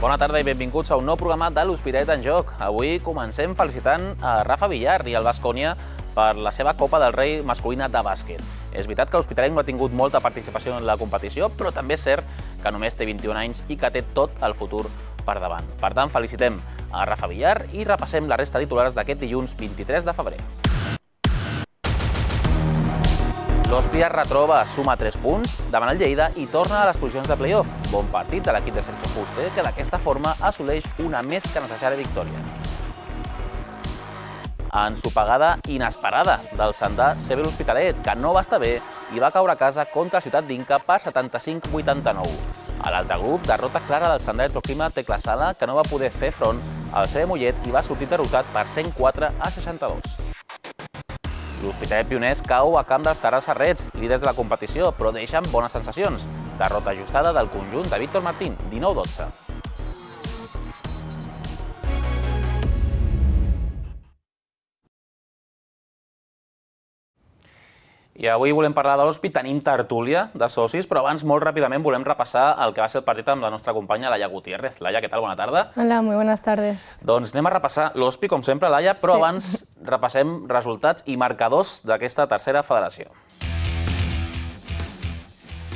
Bona tarda i benvinguts a un nou programa de l'Hospitalet en Joc. Avui comencem felicitant a Rafa Villar i al Baskonia per la seva Copa del Rei masculina de bàsquet. És veritat que l'Hospitalet no ha tingut molta participació en la competició, però també és cert que només té 21 anys i que té tot el futur per davant. Per tant, felicitem a Rafa Villar i repassem la resta de titulars d'aquest dilluns 23 de febrer. L'Hospi es retroba, suma 3 punts davant el Lleida i torna a les posicions de play-off. Bon partit de l'equip de Sergio Fuster, que d'aquesta forma assoleix una més que necessària victòria. Ensopegada inesperada del Sandà CB l'Hospitalet, que no va estar bé i va caure a casa contra Ciutat d'Inca per 75-89. A l'altre grup, derrota clara del Sandà Electroclima Tecla Sala, que no va poder fer front al CB Mollet i va sortir derrotat per 104-62. L'Hospitalet Pioners cau a camp dels Terrassa Reds, líders de la competició, però deixen bones sensacions. Derrota ajustada del conjunt de Víctor Martín, 19-12. I avui volem parlar de l'Hospi, tenim tertúlia de socis, però abans, molt ràpidament, volem repassar el que va ser el partit amb la nostra companya Laia Gutiérrez. Laia, què tal? Bona tarda. Hola, muy buenas tardes. Doncs anem a repassar l'Hospi, com sempre, Laia, però abans repassem resultats i marcadors d'aquesta tercera federació.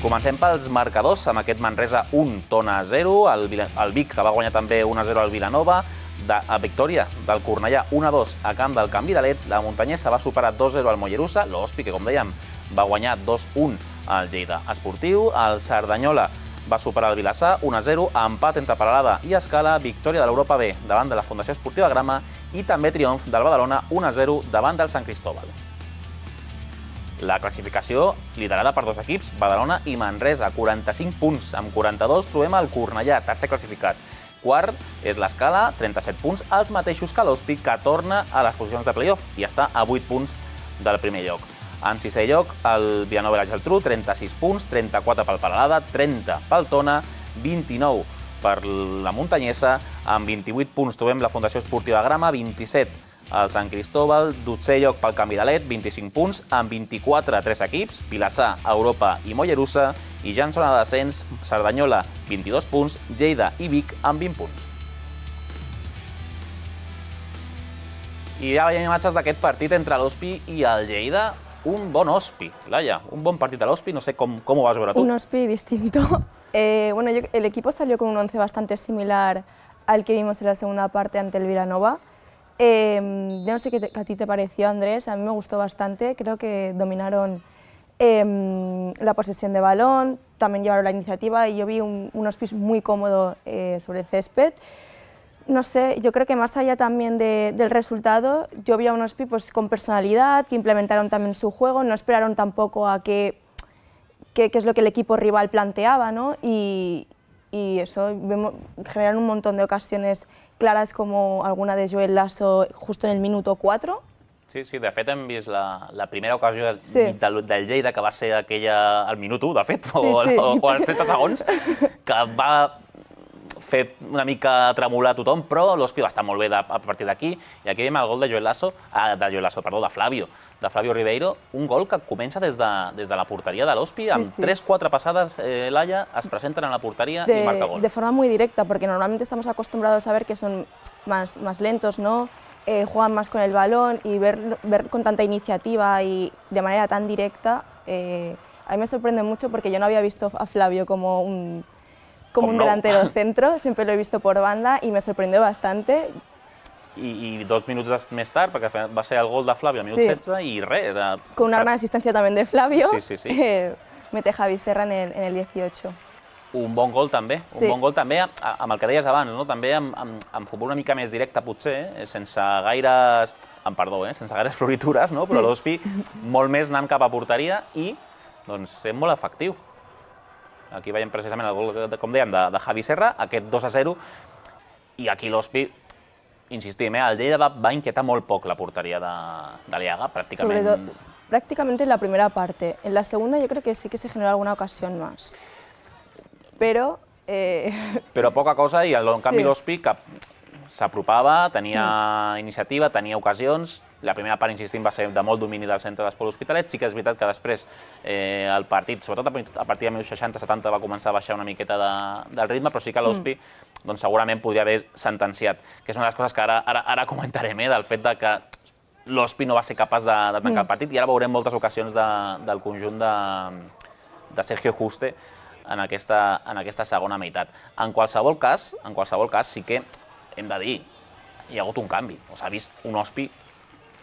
Comencem pels marcadors, amb aquest Manresa 1, Tona 0, el Vic, que va guanyar també 1-0 al Vilanova, a victòria del Cornellà 1-2 a camp del Canvi de Let, la Muntanyesa va superar 2-0 al Mollerussa, l'Hospi, que com dèiem va guanyar 2-1 al Lleida Esportiu, el Cerdanyola va superar el Vilassar 1-0, empat entre Peralada i Escala, victòria de l'Europa B davant de la Fundació Esportiva Grama i també triomf del Badalona 1-0 davant del Sant Cristóbal. La classificació liderada per dos equips, Badalona i Manresa, 45 punts. Amb 42 trobem el Cornellà, tercer classificat. Quart és l'Escala, 37 punts, els mateixos que l'Hospi, que torna a les posicions de play-off i està a 8 punts del primer lloc. En sisè lloc, el Vilanova i la Geltrú, 36 punts, 34 pel Peralada, 30 pel Tona, 29 per la Muntanyesa, amb 28 punts trobem la Fundació Esportiva Grama, 27 el Sant Cristóbal, 12è lloc pel Canvi de Let, 25 punts, amb 24 a 3 equips, Vilassar, Europa i Mollerussa, i ja en zona de descens, Cerdanyola, 22 punts, Lleida i Vic amb 20 punts. I ja veiem imatges d'aquest partit entre l'Hospi i el Lleida. Un bon Hospi, Laia, un bon partit a l'Hospi, no sé com ho vas veure tu. Un Hospi distinto. El equipo salió con un once bastante similar al que vimos en la segunda parte ante el Vilanova. Yo no sé qué a ti te pareció, Andrés, a mí me gustó bastante, creo que dominaron la posesión de balón, también llevaron la iniciativa y yo vi un Hospi muy cómodo sobre el césped. No sé, yo creo que más allá también del resultado, yo vi a un Hospi pues, con personalidad, que implementaron también su juego, no esperaron tampoco a qué es lo que el equipo rival planteaba, ¿no? Y eso, generaron un montón de ocasiones claras como alguna de Joel Lasso justo en el minuto 4. Sí, de fet hem vist la primera ocasió del Lleida, que va ser aquella al minut 1, de fet, o als 30 segons, que va fer una mica tremolar tothom, però l'Hospi va estar molt bé a partir d'aquí, i aquí veiem el gol de Flavio Ribeiro, un gol que comença des de la porteria de l'Hospi, amb 3-4 passades, Laia, es presenten en la porteria i marca gol. De forma muy directa, porque normalmente estamos acostumbrados a ver que son más lentos, ¿no? Juegan más con el balón y ver con tanta iniciativa y de manera tan directa, a mí me sorprende mucho porque yo no había visto a Flavio como un delantero centro, siempre lo he visto por banda y me sorprendió bastante. I 2 minuts més tard, perquè va ser el gol de Flavio al minut 16 i res. Con una gran asistencia también de Flavio, sí. mete Javi Serra en el 18. Un bon gol també, amb el que deies abans, no? També amb futbol una mica més directe potser, sense gaires floritures, no? Però l'Hospi molt més anant cap a porteria i sent molt efectiu. Aquí veiem precisament el gol, com dèiem, de Javi Serra, aquest 2-0, i aquí l'Hospi, insistim, el Lleida va inquietar molt poc la porteria de Liaga, prácticamente. Prácticamente en la primera parte. En la segunda yo creo que sí que se generó alguna ocasión más. Però poca cosa, i en canvi l'Hospi, que s'apropava, tenia iniciativa, tenia ocasions. La primera part, insistim, va ser de molt domini del centre d'Esport L'Hospitalet. Sí que és veritat que després el partit, sobretot a partir de 60-70, va començar a baixar una miqueta del ritme, però sí que l'Hospi segurament podria haver sentenciat, que és una de les coses que ara comentarem, del fet que l'Hospi no va ser capaç de tancar el partit, i ara veurem moltes ocasions del conjunt de Sergio Juste en aquesta segona meitat. En qualsevol cas, sí que hem de dir, hi ha hagut un canvi. S'ha vist un Hospi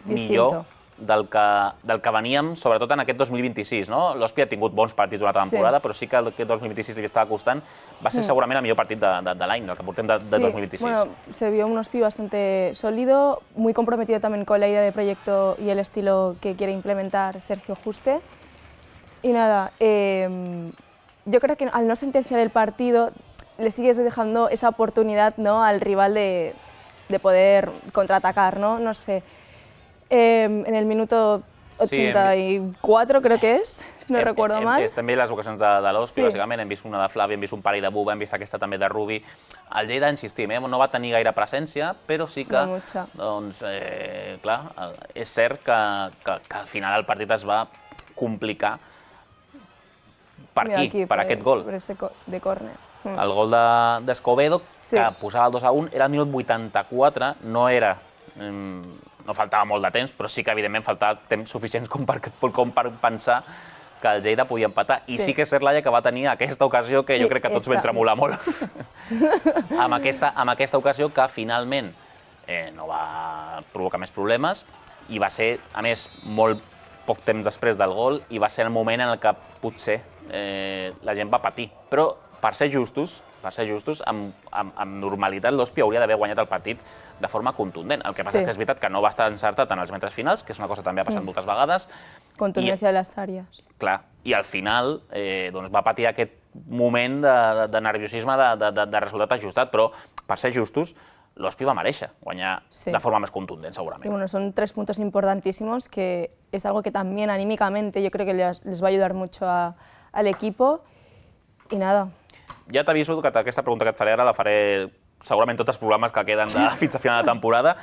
millor del que veníem, sobretot en aquest 2026. L'Hospi ha tingut bons partits durant la temporada, però sí que aquest 2026 li estava costant. Va ser segurament el millor partit de l'any, del que portem de 2026. Bueno, se vio un Hospi bastante sólido, muy comprometido también con la idea de proyecto y el estilo que quiere implementar Sergio Juste. Y nada, yo creo que al no sentenciar el partido le sigues dejando esa oportunidad, ¿no?, al rival de poder contraatacar, no sé. En el minuto 84 creo que és, si no recuerdo mal. També les ocasions de l'Hospi, bàsicament, hem vist una de Flavi, hem vist un parell de Buba, hem vist aquesta també de Rubi. El Lleida, insistim, no va tenir gaire presència, però sí que, doncs, clar, és cert que al final el partit es va complicar per aquí, per aquest gol. De córner. El gol d'Escobedo, que posava el 2-1, era el minut 84, no faltava molt de temps, però sí que evidentment faltava temps suficients com per pensar que el Lleida podia empatar. I sí que és cert, Laia, que va tenir aquesta ocasió que jo crec que tots vam tremolar molt. Amb aquesta ocasió que finalment no va provocar més problemes i va ser, a més, molt poc temps després del gol, i va ser el moment en què potser la gent va patir. Però, per ser justos, amb normalitat l'Hospi hauria d'haver guanyat el partit de forma contundent. El que passa que és veritat que no va estar encertat en els metres finals, que és una cosa que també ha passat moltes vegades. Contundència de les àrees. Clar, i al final va patir aquest moment de nerviosisme, de resultat ajustat, però, per ser justos, l'Hospi va mereixer guanyar de forma més contundent, segurament. Y bueno, son 3 puntos importantísimos, que es algo que también anímicamente yo creo que les va a ayudar mucho al equipo. Y nada. Ja t'aviso que aquesta pregunta que et faré ara la faré segurament tots els programes que queden fins a final de temporada.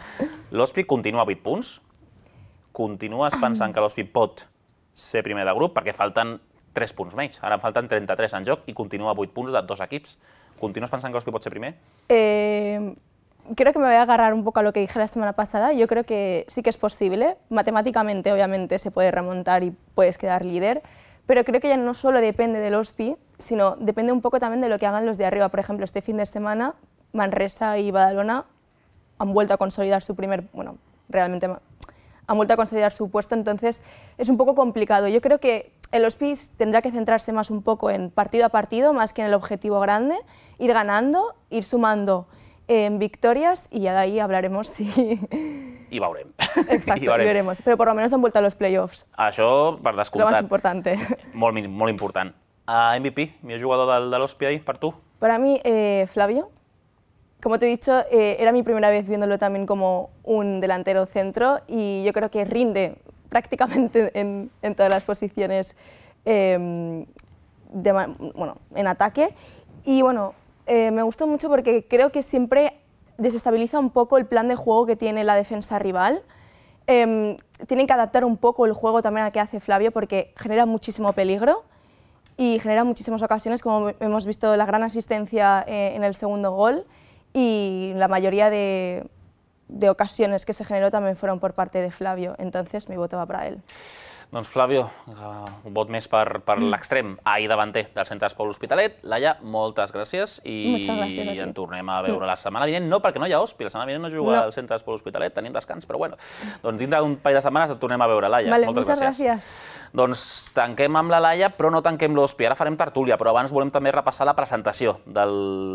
L'Hospi continua a 8 punts. Continues pensant que l'Hospi pot ser primer de grup, perquè falten 3 punts menys. Ara falten 33 en joc i continua a 8 punts de 2 equips. Continues pensant que l'Hospi pot ser primer? Creo que me voy a agarrar un poco a lo que dije la semana pasada. Yo creo que sí que es posible. Matemáticamente, obviamente, se puede remontar y puedes quedar líder. Pero creo que ya no solo depende del Hospi, sino depende un poco también de lo que hagan los de arriba. Por ejemplo, este fin de semana, Manresa y Badalona han vuelto a consolidar su realmente han vuelto a consolidar su puesto, entonces es un poco complicado. Yo creo que el Hospi tendrá que centrarse más un poco en partido a partido, más que en el objetivo grande, ir ganando, ir sumando victorias, y ya de ahí hablaremos si... I veurem. Exacto, y veremos. Pero por lo menos han vuelto a los playoffs. Això, per descomptat. Lo más importante. Molt important. MVP, millor jugador de l'Hospi ahí, per tu? Para mí, Flavio. Como te he dicho, era mi primera vez viéndolo también como un delantero centro, y yo creo que rinde prácticamente en todas las posiciones en ataque. Y bueno, me gustó mucho porque creo que siempre desestabiliza un poco el plan de juego que tiene la defensa rival. Tienen que adaptar un poco el juego también a que hace Flavio, porque genera muchísimo peligro y genera muchísimas ocasiones, como hemos visto la gran asistencia en el segundo gol, y la mayoría de ocasiones que se generó también fueron por parte de Flavio, entonces mi voto va para él. Doncs Flavio, un vot més per l'extrem ahir davanter del centre d'Esport L'Hospitalet. Laia, moltes gràcies i en tornem a veure la setmana vinent. No, perquè no hi ha Hospi, la setmana vinent no juga al centre d'Esport L'Hospitalet, tenim descans, però bueno, doncs dintre d'un parell de setmanes et tornem a veure, Laia. Moltes gràcies. Doncs tanquem amb la Laia, però no tanquem l'Hospi. Ara farem tertúlia, però abans volem també repassar la presentació de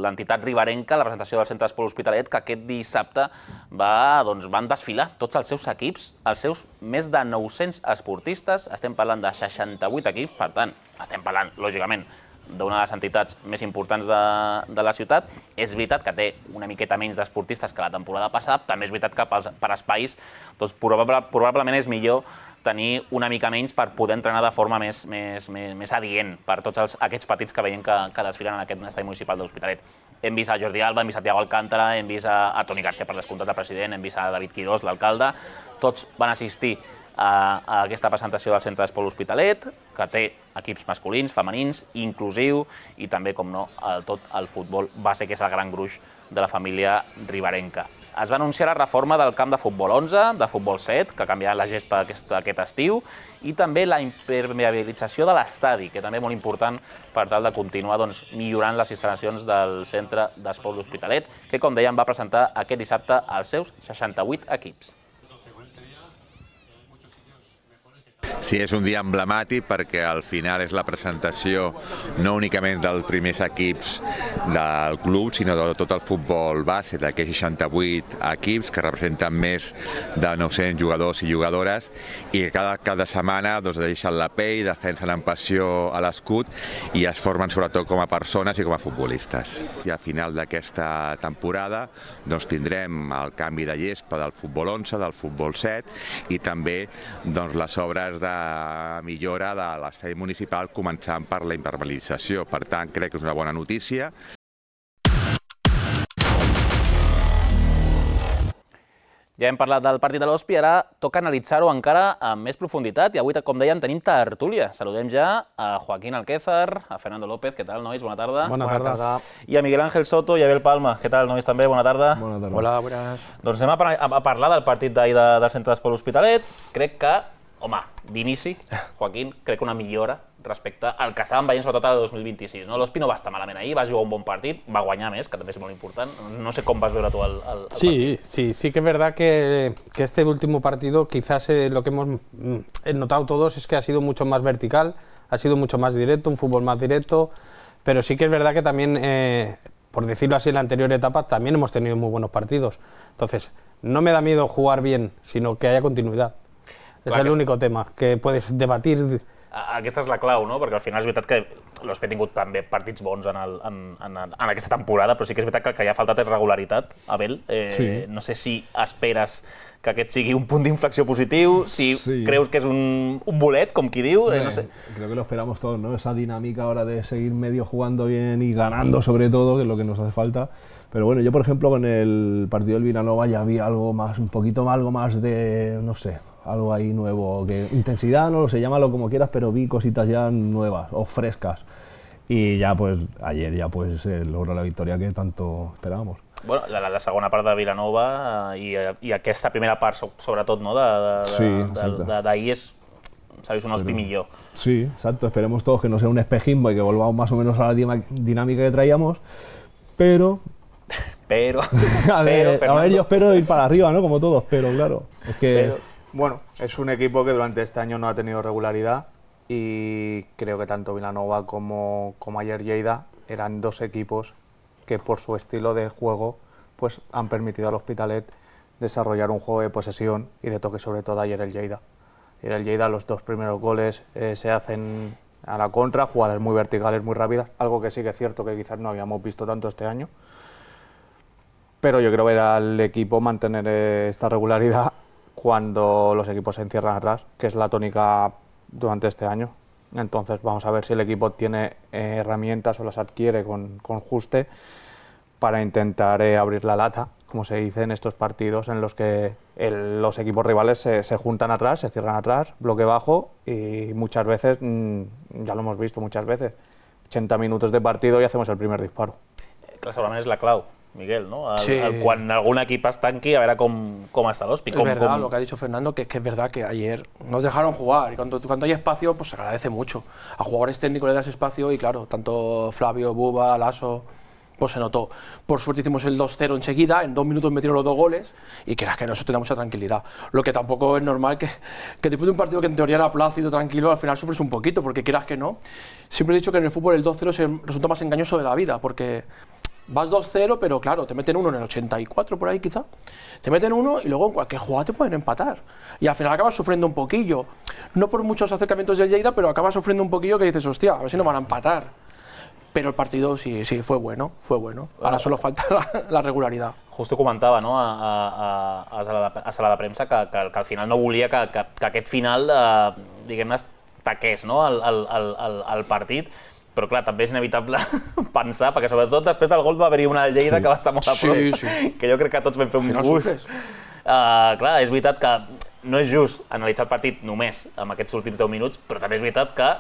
l'entitat riberenca, la presentació del centre d'Esport L'Hospitalet, que aquest dissabte van desfilar tots els seus equips, els seus més de 900 esportistes. Estem parlant de 68 equips, per tant, estem parlant, lògicament, d'una de les entitats més importants de la ciutat. És veritat que té una miqueta menys d'esportistes que la temporada passada, també és veritat que per espais doncs, probablement és millor tenir una mica menys per poder entrenar de forma més adient per tots aquests petits que veiem que desfilen en aquest estadi municipal de l'Hospitalet. Hem vist a Jordi Alba, hem vist a Thiago Alcántara, hem vist a Toni Garcia per descomptat de president, hem vist a David Quirós, l'alcalde. Tots van assistir a aquesta presentació del Centre d'Esport L'Hospitalet, que té equips masculins, femenins, inclusiu i també, com no, tot el futbol base, que és el gran gruix de la família riberenca. Es va anunciar la reforma del camp de futbol 11, de futbol 7, que canviarà la gespa aquest estiu, i també la impermeabilització de l'estadi, que també és molt important per tal de continuar millorant les instal·lacions del Centre d'Esport L'Hospitalet, que, com dèiem, va presentar aquest dissabte els seus 68 equips. Sí, és un dia emblemàtic perquè al final és la presentació no únicament dels primers equips del club, sinó de tot el futbol base d'aquests 68 equips que representen més de 900 jugadors i jugadores i que cada setmana deixen la pell, defensen amb passió a l'escut i es formen sobretot com a persones i com a futbolistes. I al final d'aquesta temporada tindrem el canvi de gespa del futbol 11, del futbol 7 i també les obres de millora de l'estadi municipal, començant per la impermeabilització. Per tant, crec que és una bona notícia. Ja hem parlat del partit de l'Hospi, ara toca analitzar-ho encara amb més profunditat i avui, com dèiem, tenim tertúlia. Saludem ja a Joaquín Alquézar, a Fernando López. Què tal, nois? Bona tarda. Bona tarda. I a Miguel Ángel Soto i a Abel Palma. Què tal, nois, també? Bona tarda. Bona tarda. Hola, buenas. Doncs anem a parlar del partit d'ahir del Centre d'Esport L'Hospitalet. Crec que, home, d'inici, Joaquín, crec que una millora respecte al que estàvem veient sobretot al 2026. L'Hospi no va estar malament ahir, va jugar un bon partit, va guanyar més, que també és molt important. No sé com vas veure tu el partido. Sí que es verdad que este último partido quizás lo que hemos notado todos es que ha sido mucho más vertical, ha sido mucho más directo, un fútbol más directo, pero sí que es verdad que también, por decirlo así, en la anterior etapa también hemos tenido muy buenos partidos. Entonces, no me da miedo jugar bien, sino que haya continuidad. És l'únic tema que puedes debatir. Aquesta és la clau, no? Perquè al final és veritat que l'Hospi ha tingut també partits bons en aquesta temporada, però sí que és veritat que el que ha faltat és regularitat, Abel. No sé si esperes que aquest sigui un punt d'inflexió positiu, si creus que és un bolet, com qui diu, no sé. Creo que lo esperamos todos, ¿no? Esa dinámica ahora de seguir medio jugando bien y ganando sobre todo, que es lo que nos hace falta. Pero bueno, yo por ejemplo con el partido del Vilanova ya vi algo más, algo más de, no sé, algo ahí nuevo, que intensidad, no lo sé, llámalo como quieras, pero vi cositas ya nuevas o frescas. Y ya pues ayer ya pues logró la victoria que tanto esperábamos. Bueno, la segona part de Vilanova i aquesta primera part, sobretot, no, d'ahir s'ha vist un Hospi millor. Sí, exacto, esperemos todos que no sea un espejismo y que volvamos más o menos a la dinámica que traíamos, pero a ver, yo espero ir para arriba, ¿no? Como todos, pero claro, es que... Bueno, es un equipo que durante este año no ha tenido regularidad y creo que tanto Vilanova como ayer Lleida eran dos equipos que por su estilo de juego pues han permitido al Hospitalet desarrollar un juego de posesión y de toque, sobre todo ayer el Lleida. Ayer el Lleida, los dos primeros goles se hacen a la contra, jugadas muy verticales, muy rápidas, algo que sí que es cierto que quizás no habíamos visto tanto este año. Pero yo creo que era al equipo mantener esta regularidad cuando los equipos se encierran atrás, que es la tónica durante este año. Entonces vamos a ver si el equipo tiene herramientas o las adquiere con Juste para intentar abrir la lata, como se dice en estos partidos en los que los equipos rivales se juntan atrás, se cierran atrás, bloque bajo y muchas veces, ya lo hemos visto muchas veces, 80 minutos de partido y hacemos el primer disparo. Clar, segurament és la clau, Miguel, ¿no? Quan algún equip es tanqui, a ver cómo está l'Hospi. Es verdad lo que ha dicho Fernando, que es verdad que ayer nos dejaron jugar y cuando hay espacio pues se agradece mucho. A jugadores técnicos le das espacio y claro, tanto Flavio, Buba, Lasso, pues se notó. Por suerte hicimos el 2-0 enseguida, en 2 minutos metieron los 2 goles y que eso te da mucha tranquilidad. Lo que tampoco es normal que después de un partido que en teoría era plácido, tranquilo, al final sufres un poquito, porque quieras que no. Siempre he dicho que en el fútbol el 2-0 es el resultado más engañoso de la vida, porque vas 2-0, pero claro, te meten uno en el 84 por ahí quizá, te meten uno y luego en cualquier jugada te pueden empatar. Y al final acabas sufriendo un poquillo, no por muchos acercamientos del Lleida, pero acabas sufriendo un poquillo que dices, hostia, a ver si no van a empatar. pero el partido sí, fue bueno, fue bueno. Ahora solo falta la regularidad. Justo comentava, no, a sala de premsa que al final no volia que aquest final, diguem-ne, taqués, no, el partit, però clar, també és inevitable pensar, perquè sobretot després del gol va haver-hi una Lleida que va estar molt a prop, que jo crec que tots vam fer un gust. Clar, és veritat que no és just analitzar el partit només amb aquests últims 10 minuts, però també és veritat que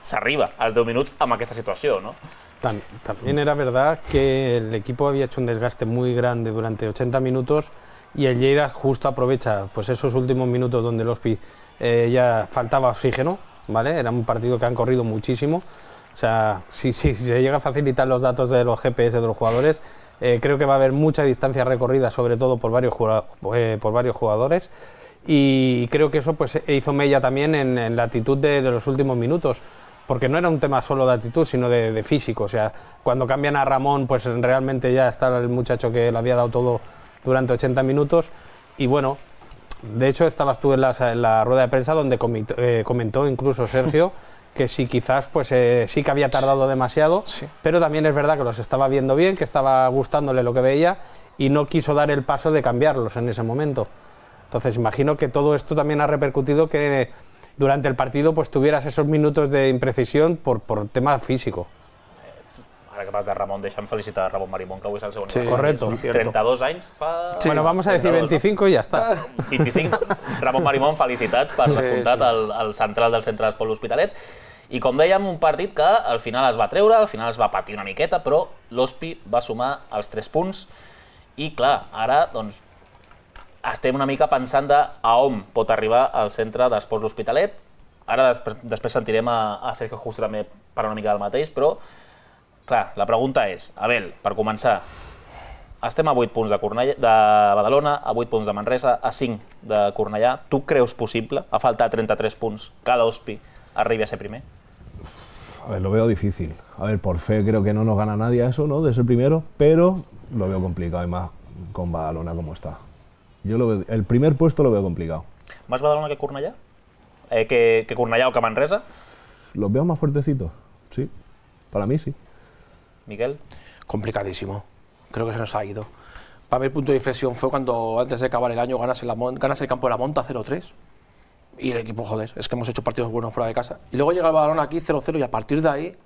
s'arriba als 10 minuts amb aquesta situació, ¿no? También era verdad que el equipo había hecho un desgaste muy grande durante 80 minutos y el Lleida justo aprovecha pues esos últimos minutos donde el Hospi ya faltaba oxígeno, ¿vale? Era un partido que han corrido muchísimo. O sea, si se llega a facilitar los datos de los GPS de los jugadores, creo que va a haber mucha distancia recorrida, sobre todo por varios jugadores. Y creo que eso pues hizo mella también en la actitud de los últimos minutos, porque no era un tema solo de actitud, sino de físico. O sea, cuando cambian a Ramón, pues realmente ya está el muchacho que le había dado todo durante 80 minutos. Y bueno, de hecho estabas tú en la rueda de prensa donde comentó incluso Sergio que sí, quizás pues sí que había tardado demasiado, pero también es verdad que los estaba viendo bien, que estaba gustándole lo que veía y no quiso dar el paso de cambiarlos en ese momento. Entonces imagino que todo esto también ha repercutido que durante el partido pues tuvieras esos minutos de imprecisión por tema físico. Ara que parles de Ramon, deixa'm felicitar a Ramon Marimón, que avui és el segon. Sí, correcto. 32 anys fa... Sí. Bueno, vamos a decir 25 no? Y ya está. 25. Ramon Marimón, felicitats per descomptat al central del centre d'Esport L'Hospitalet. I com dèiem, un partit que al final es va treure, al final es va patir una miqueta, però l'Hospi va sumar els 3 punts i clar, ara doncs estem una mica pensant a on pot arribar el centre d'Esports L'Hospitalet. Ara després sentirem a Sergio Juste també per una mica del mateix, però clar, la pregunta és, Abel, per començar, estem a 8 punts de Badalona, a 8 punts de Manresa, a 5 de Cornellà. Tu creus possible, a faltar 33 punts, que l'Hospi arribi a ser primer? A ver, lo veo difícil. A ver, por fe creo que no nos gana nadie a eso, ¿no? De ser primero, pero lo veo complicado y más con Badalona como está. Yo el primer puesto lo veo complicado. ¿Más Badalona que Cornellà? ¿Que Cornellà o que Manresa? Los veo más fuertecitos, sí. Para mí sí. Miguel. Complicadísimo. Creo que se nos ha ido. Para mí el punto de inflexión fue cuando antes de acabar el año ganas el campo de la Monta 0-3. Y el equipo, joder, es que hemos hecho partidos buenos fuera de casa. Y luego llega el Badalona aquí 0-0 y a partir de ahí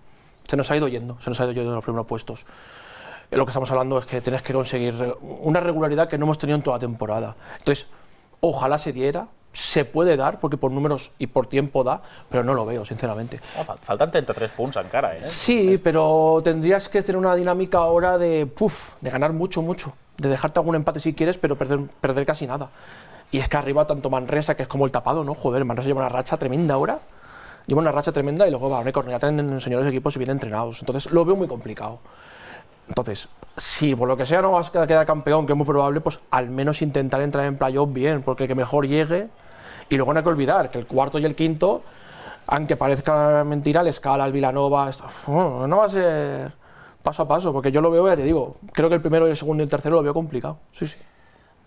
se nos ha ido yendo en los primeros puestos. Lo que estamos hablando es que tienes que conseguir una regularidad que no hemos tenido en toda la temporada. Entonces, ojalá se diera, se puede dar, porque por números y por tiempo da, pero no lo veo, sinceramente. Faltan 33 punts encara, ¿eh? Sí, pero tendrías que tener una dinámica ahora de ganar mucho, de dejarte algún empate si quieres, pero perder casi nada. Y es que arriba tanto Manresa, que es como el tapado, ¿no? Joder, Manresa lleva una racha tremenda ahora. Lleva una racha tremenda y luego Badalona y Cornellà tienen señores equipos y bien entrenados. Entonces lo veo muy complicado. Entonces, si por lo que sea no vas a quedar campeón, que es muy probable, pues al menos intentar entrar en playoff bien, porque el que mejor llegue. Y luego no hay que olvidar que el cuarto y el quinto, aunque parezca mentira, el Escala, el Vilanova, no va a ser paso a paso, porque yo lo veo, ya te digo, creo que el primero, el segundo y el tercero lo veo complicado. Sí.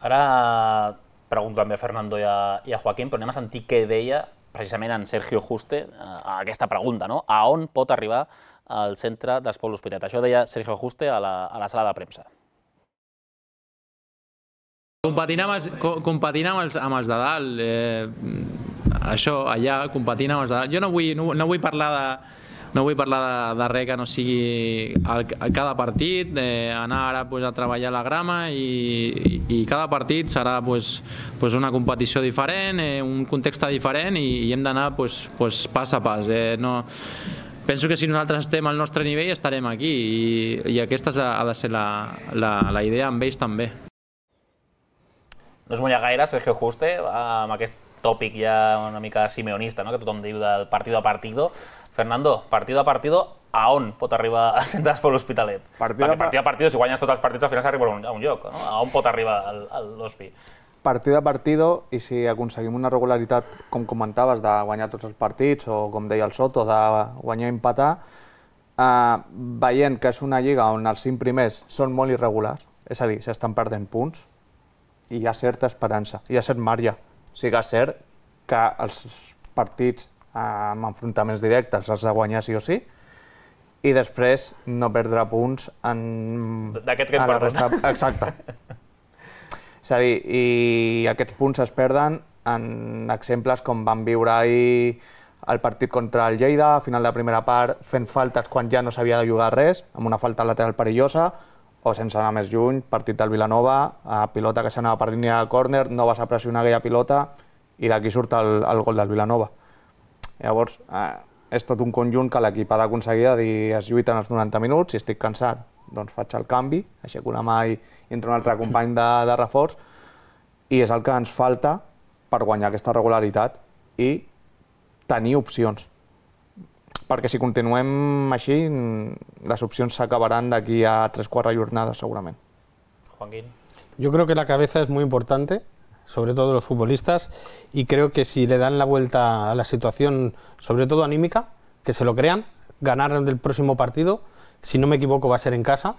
Ara pregunto també a Fernando i a Joaquín, però anem a sentir què deia precisament en Sergio Juste a aquesta pregunta, no? A on pot arribar al centre d'Esport L'Hospitalet? Això deia Sergio Juste a la sala de premsa. Competint amb els de dalt, això, allà, competint amb els de dalt. Jo no vull parlar de res que no sigui cada partit, anar ara a treballar la grama i cada partit serà una competició diferent, un context diferent i hem d'anar pas a pas. Penso que si nosaltres estem al nostre nivell estarem aquí i aquesta ha de ser la idea amb ells també. No es mulla gaire, Sergio Juste, amb aquest tòpic ja una mica simeonista, no? Que tothom diu del partido a partido. Fernando, partido a partido, a on pot arribar al centre d'Esport L'Hospitalet? Perquè partido a partido, si guanyes tots els partits, al final s'arriba a un lloc. No? A on pot arribar l'Hospi? Partido a partido, i si aconseguim una regularitat, com comentaves, de guanyar tots els partits, o com deia el Soto, de guanyar i empatar, veient que és una lliga on els 5 primers són molt irregulars, és a dir, s'estan perdent punts, i hi ha certa esperança, hi ha cert marge. Sí que és cert que els partits amb enfrontaments directes has de guanyar sí o sí, i després no perdre punts d'aquests que hem perdut. Exacte. És a dir, i aquests punts es perden en exemples com van viure ahir el partit contra el Lleida, a final de la primera part, fent faltes quan ja no s'havia de jugar res, amb una falta lateral perillosa, o sense anar més lluny, partit del Vilanova, pilota que s'anava per línia de córner, no vas a pressionar aquella pilota i d'aquí surt el gol del Vilanova. Llavors, és tot un conjunt que l'equip ha d'aconseguir de dir es lluiten els 90 minuts, si estic cansat, doncs faig el canvi, aixeco la mà i entra un altre company de reforç, i és el que ens falta per guanyar aquesta regularitat i tenir opcions. Perquè si continuem així, las opcions s'acabaran d'aquí a 3-4 jornades segurament. Joaquín. Yo creo que la cabeza es muy importante, sobre todo los futbolistas, y creo que si le dan la vuelta a la situación, sobre todo anímica, que se lo crean, ganar el próximo partido, si no me equivoco va a ser en casa,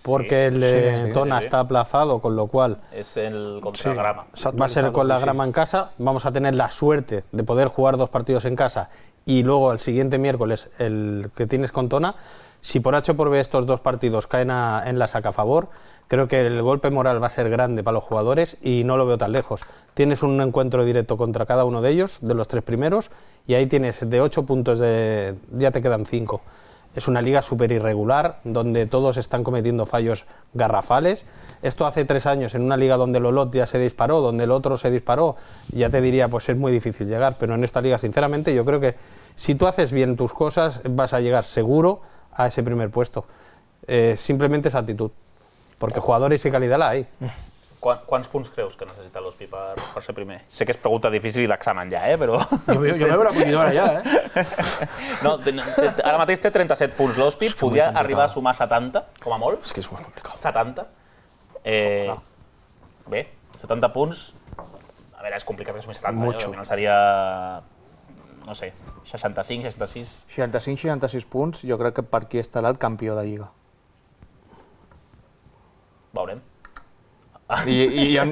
porque el de Tona está aplazado, con lo cual es el contra Grama. Va a ser con la Grama en casa. Vamos a tener la suerte de poder jugar 2 partidos en casa y luego el siguiente miércoles el que tienes con Tona. Si por H o por B estos 2 partidos caen en la saca a favor, creo que el golpe moral va a ser grande para los jugadores y no lo veo tan lejos. Tienes un encuentro directo contra cada uno de ellos, de los 3 primeros, y ahí tienes de 8 puntos, ya te quedan 5. Es una liga súper irregular, donde todos están cometiendo fallos garrafales. Esto hace 3 años, en una liga donde el Olot ya se disparó, donde el otro se disparó, ya te diría, pues es muy difícil llegar. Pero en esta liga, sinceramente, yo creo que si tú haces bien tus cosas, vas a llegar seguro a ese primer puesto. Simplemente es actitud, porque jugadores y calidad la hay. Quants punts creus que necessita l'Hospi per ser primer? Sé que és pregunta difícil i d'examen ja, però... Jo me veu la collidora ja, No, ara mateix té 37 punts l'Hospi, podria arribar a sumar 70, com a molt. És que és molt complicat. 70. Bé, 70 punts... A veure, és complicat que sumi 70, al final seria... No sé, 65, 66... 65-66 punts, jo crec que per aquí estarà el campió de Lliga. Veurem. I em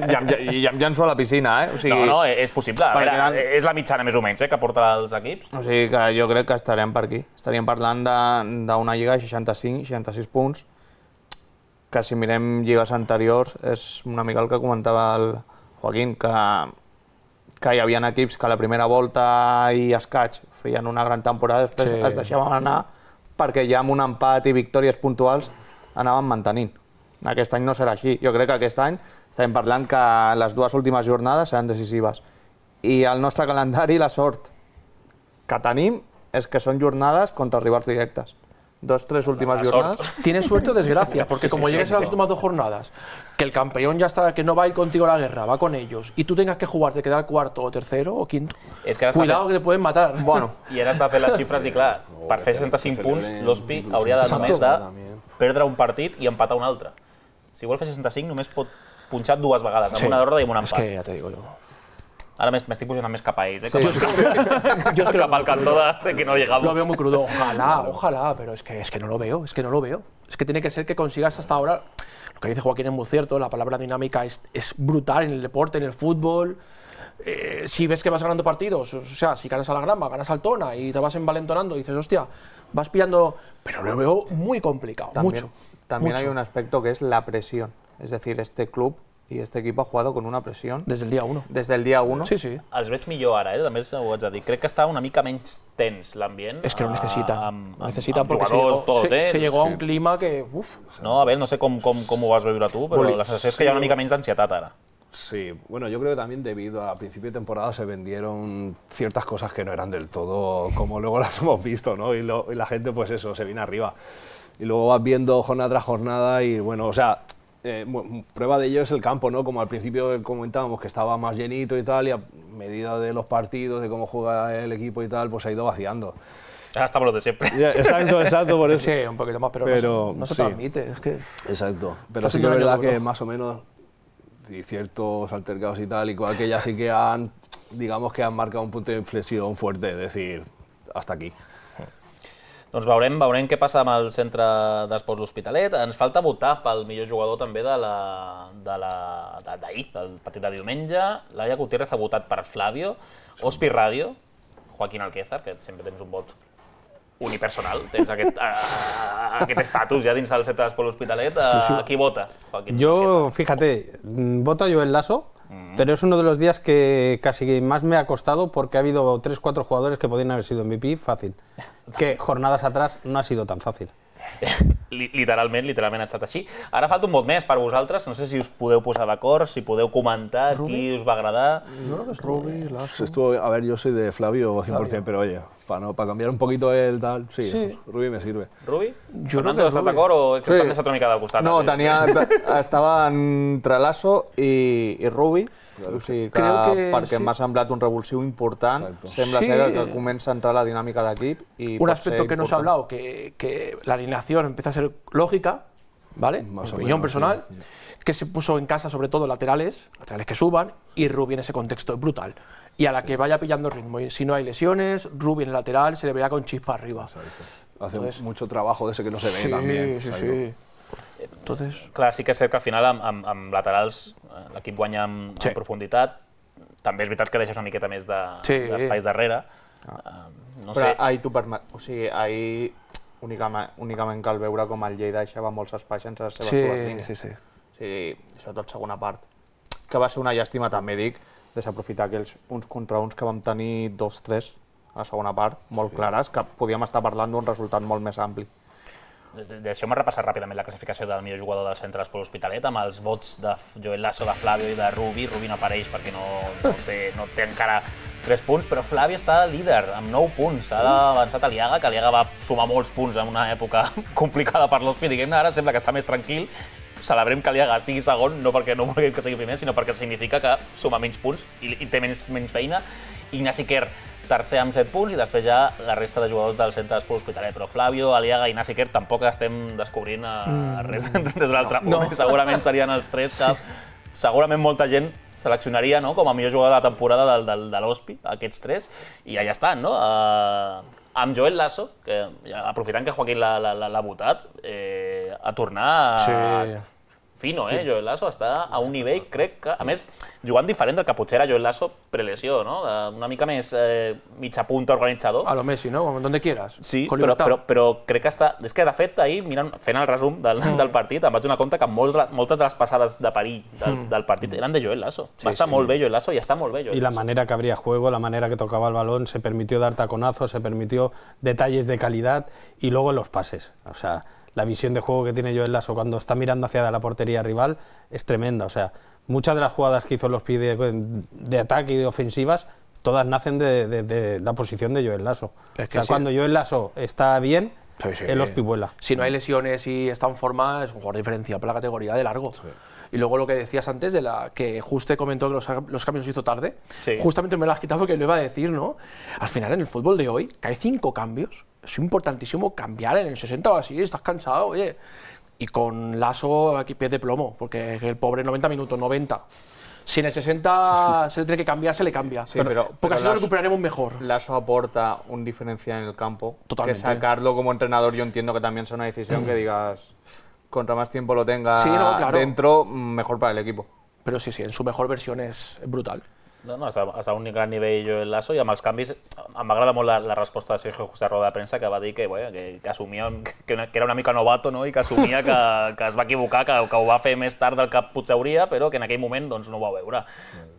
llanço a la piscina, O sigui, no, és possible. A veure, és la mitjana més o menys que porta els equips. O sigui que jo crec que estarem per aquí. Estaríem parlant d'una lliga de 65-66 punts, que si mirem lligues anteriors és una mica el que comentava el Joaquín, que hi havia equips que a la primera volta i escaig feien una gran temporada, després es deixaven anar perquè ja amb un empat i victòries puntuals anaven mantenint. Aquest any no serà així. Jo crec que aquest any estem parlant que les 2 últimes jornades seran decisives. I el nostre calendari, la sort que tenim és que són jornades contra rivals directes. 2-3 últimas jornadas. Tienes suerte o desgracia, porque como llegues a las últimas 2 jornadas, que el campeón ya está, que no va a ir contigo a la guerra, va con ellos, y tú tengas que jugar de quedar cuarto o tercero o quinto, cuidado que te pueden matar. Bueno, i ara has de fer les xifres i clar, per fer 65 punts, l'Hospi hauria de només de perdre un partit i empatar un altre. Si vol fer 65 només pot punxar 2 vegades, amb una derrota i amb un empat. És que ja te digo jo. Ara m'estic posant més cap a ells, cap al cantó de que no llegamos. Lo veo muy crudo. Ojalá, pero es que no lo veo, es que no lo veo. Es que tiene que ser que consigas hasta ahora, lo que dice Joaquín es muy cierto, la palabra dinámica es brutal en el deporte, en el fútbol. Si ves que vas ganando partidos, o sea, si ganas a la Grama, ganas al Tona y te vas envalentonando y dices, hostia, vas pillando, pero lo veo muy complicado, mucho. También hay un aspecto que es la presión, es decir, este club y este equipo ha jugado con una presión. Desde el día 1. Desde el día 1. Sí, sí. Els veig millor ara, també ho haig de dir. Crec que està una mica menys tens l'ambient. Es que lo necesitan. Necesitan porque se llegó a un clima que... Uf. No, a ver, no sé cómo ho vas veure tu, però la sensació és que hi ha una mica menys d'ansietat ara. Sí, bueno, yo creo que también debido a principio de temporada se vendieron ciertas cosas que no eran del todo como luego las hemos visto, ¿no? Y la gente, pues eso, se viene arriba. Y luego vas viendo jornada tras jornada y, bueno, o sea, prueba de ello es el campo, ¿no? Como al principio comentábamos que estaba más llenito y tal, y a medida de los partidos, de cómo juega el equipo y tal, pues ha ido vaciando. Ahora estamos los de siempre. Exacto, por eso. Sí, un poquito más, pero no se transmite, es que... Exacto, pero sí que es verdad que más o menos y ciertos altercados y tal, igual que ya sí que han, digamos que han marcado un punto de inflexión fuerte, es decir, hasta aquí. Doncs veurem què passa amb el centre d'esports L'Hospitalet. Ens falta votar pel millor jugador també d'ahir, del partit de diumenge. Laia Gutiérrez ha votat per Flavio, Hospi Radio, Joaquín Alquézar, que sempre tens un vot unipersonal, tens aquest estatus ja dins del centre d'esport L'Hospitalet. A qui vota? Yo, fíjate, voto a Joel Lasso, pero es uno de los días que casi más me ha costado porque ha habido 3 o 4 jugadores que podrían haber sido MVP fácil, que jornadas atrás no ha sido tan fácil. Literalment ha estat així. Ara falta un vot més per vosaltres, no sé si us podeu posar d'acord, si podeu comentar qui us va agradar. Rubi, Lasso. A ver, yo soy de Flavio 100%, pero oye, para cambiar un poquito el tal, sí, Rubi me sirve. Rubi? Jo crec Fernando, que estàs d'acord o ets també una mica del costat? No, estava entre Lasso i Rubi, o sigui perquè m'ha semblat un revulsiu important. Sembla ser que comença a entrar la dinàmica d'equip. Un aspecto que no se ha hablado, que la alineación empieza a ser lógica, ¿vale? Mi opinión personal, que se puso en casa sobre todo laterales que suban, y Rubi en ese contexto es brutal. Y a la que vaya pillando ritmo, y si no hay lesiones, Rubi en el lateral se le verá con chispa arriba. Hace mucho trabajo de ese que no se ve también. Sí. Entonces... Clar, sí que és cert que al final amb laterals l'equip guanya en profunditat. També és veritat que deixes una miqueta més d'espais darrere. Però ahir t'ho permet, o sigui, ahir únicament cal veure com el Lleida deixava molts espais sense les seves dues línies. O sigui, sobretot segona part. Que va ser una llàstima, també dic, desaprofitar aquells uns contra uns que vam tenir 2-3 a la segona part, molt clares, que podíem estar parlant d'un resultat molt més ampli. Deixeu-me repassar ràpidament la classificació del millor jugador del centre d'esport L'Hospitalet amb els vots de Joel Lasso, de Flavio i de Rubi. Rubi no apareix perquè no té encara 3 punts, però Flavio està líder amb 9 punts. Ha avançat Aliaga, que Aliaga va sumar molts punts en una època complicada per l'Hospi. Diguem-ne, ara sembla que està més tranquil. Celebrem que Aliaga estigui segon, no perquè no vulguem que sigui primer, sinó perquè significa que suma menys punts i té menys feina. Ignasi Quer, tercer amb 7 punts, i després ja la resta de jugadors del centre d'esport L'Hospitalet. Però Flavio, Aliaga i Ignasi Quer tampoc estem descobrint res de l'altre punt. Segurament serien els 3 que segurament molta gent seleccionaria com a millor jugador de la temporada de l'Hospi, aquests 3, i allà estan, no? Amb Joel Lasso, que aprofitant que Joaquín l'ha votat, a tornar fino, Joel Lasso està a un nivell, crec que, a més, jugant diferent del que potser era Joel Lasso prelesió, no? Una mica més mitja punta organitzador. A lo Messi, ¿no? Donde quieras. Sí, però crec que està... És que, de fet, ahir, fent el resum del partit, em vaig donar compte que moltes de les passades de perill del partit eren de Joel Lasso. Va estar molt bé Joel Lasso i està molt bé Joel Lasso. Y la manera que abría juego, la manera que tocaba el balón, se permitió dar taconazos, se permitió detalles de calidad y luego los pases. O sea, la visión de juego que tiene Joel Lasso cuando está mirando hacia la portería rival es tremenda. O sea, muchas de las jugadas que hizo los pide de ataque y de ofensivas, todas nacen de la posición de Joel Lasso. Es que cuando Joel Lasso está bien, el Hospi vuela. Si no hay lesiones y está en forma, es un jugador diferencial para la categoría de largo. Y luego lo que decías antes, de que Juste comentó que los cambios los hizo tarde, justamente me lo has quitado porque lo iba a decir, ¿no? Al final, en el fútbol de hoy, que hay 5 cambios, es importantísimo cambiar en el 60 o así, estás cansado, oye. Y con Lasso aquí pie de plomo, porque el pobre 90 minutos, 90. Si en el 60 se le tiene que cambiar, se le cambia. Sí, porque así lo recuperaremos mejor. Lasso aporta un diferencial en el campo. Totalmente. Que sacarlo como entrenador, yo entiendo que también es una decisión que digas, contra más tiempo lo tenga dentro, mejor para el equipo. Però sí, en su mejor versión es brutal. No, està a un gran nivell Joel Lasso, i amb els canvis em va agradar molt la resposta de Sergio Juste a roda de premsa, que va dir que assumia que era una mica novato, no? I que assumia que es va equivocar, que ho va fer més tard del que potser hauria, però que en aquell moment doncs, no ho va veure.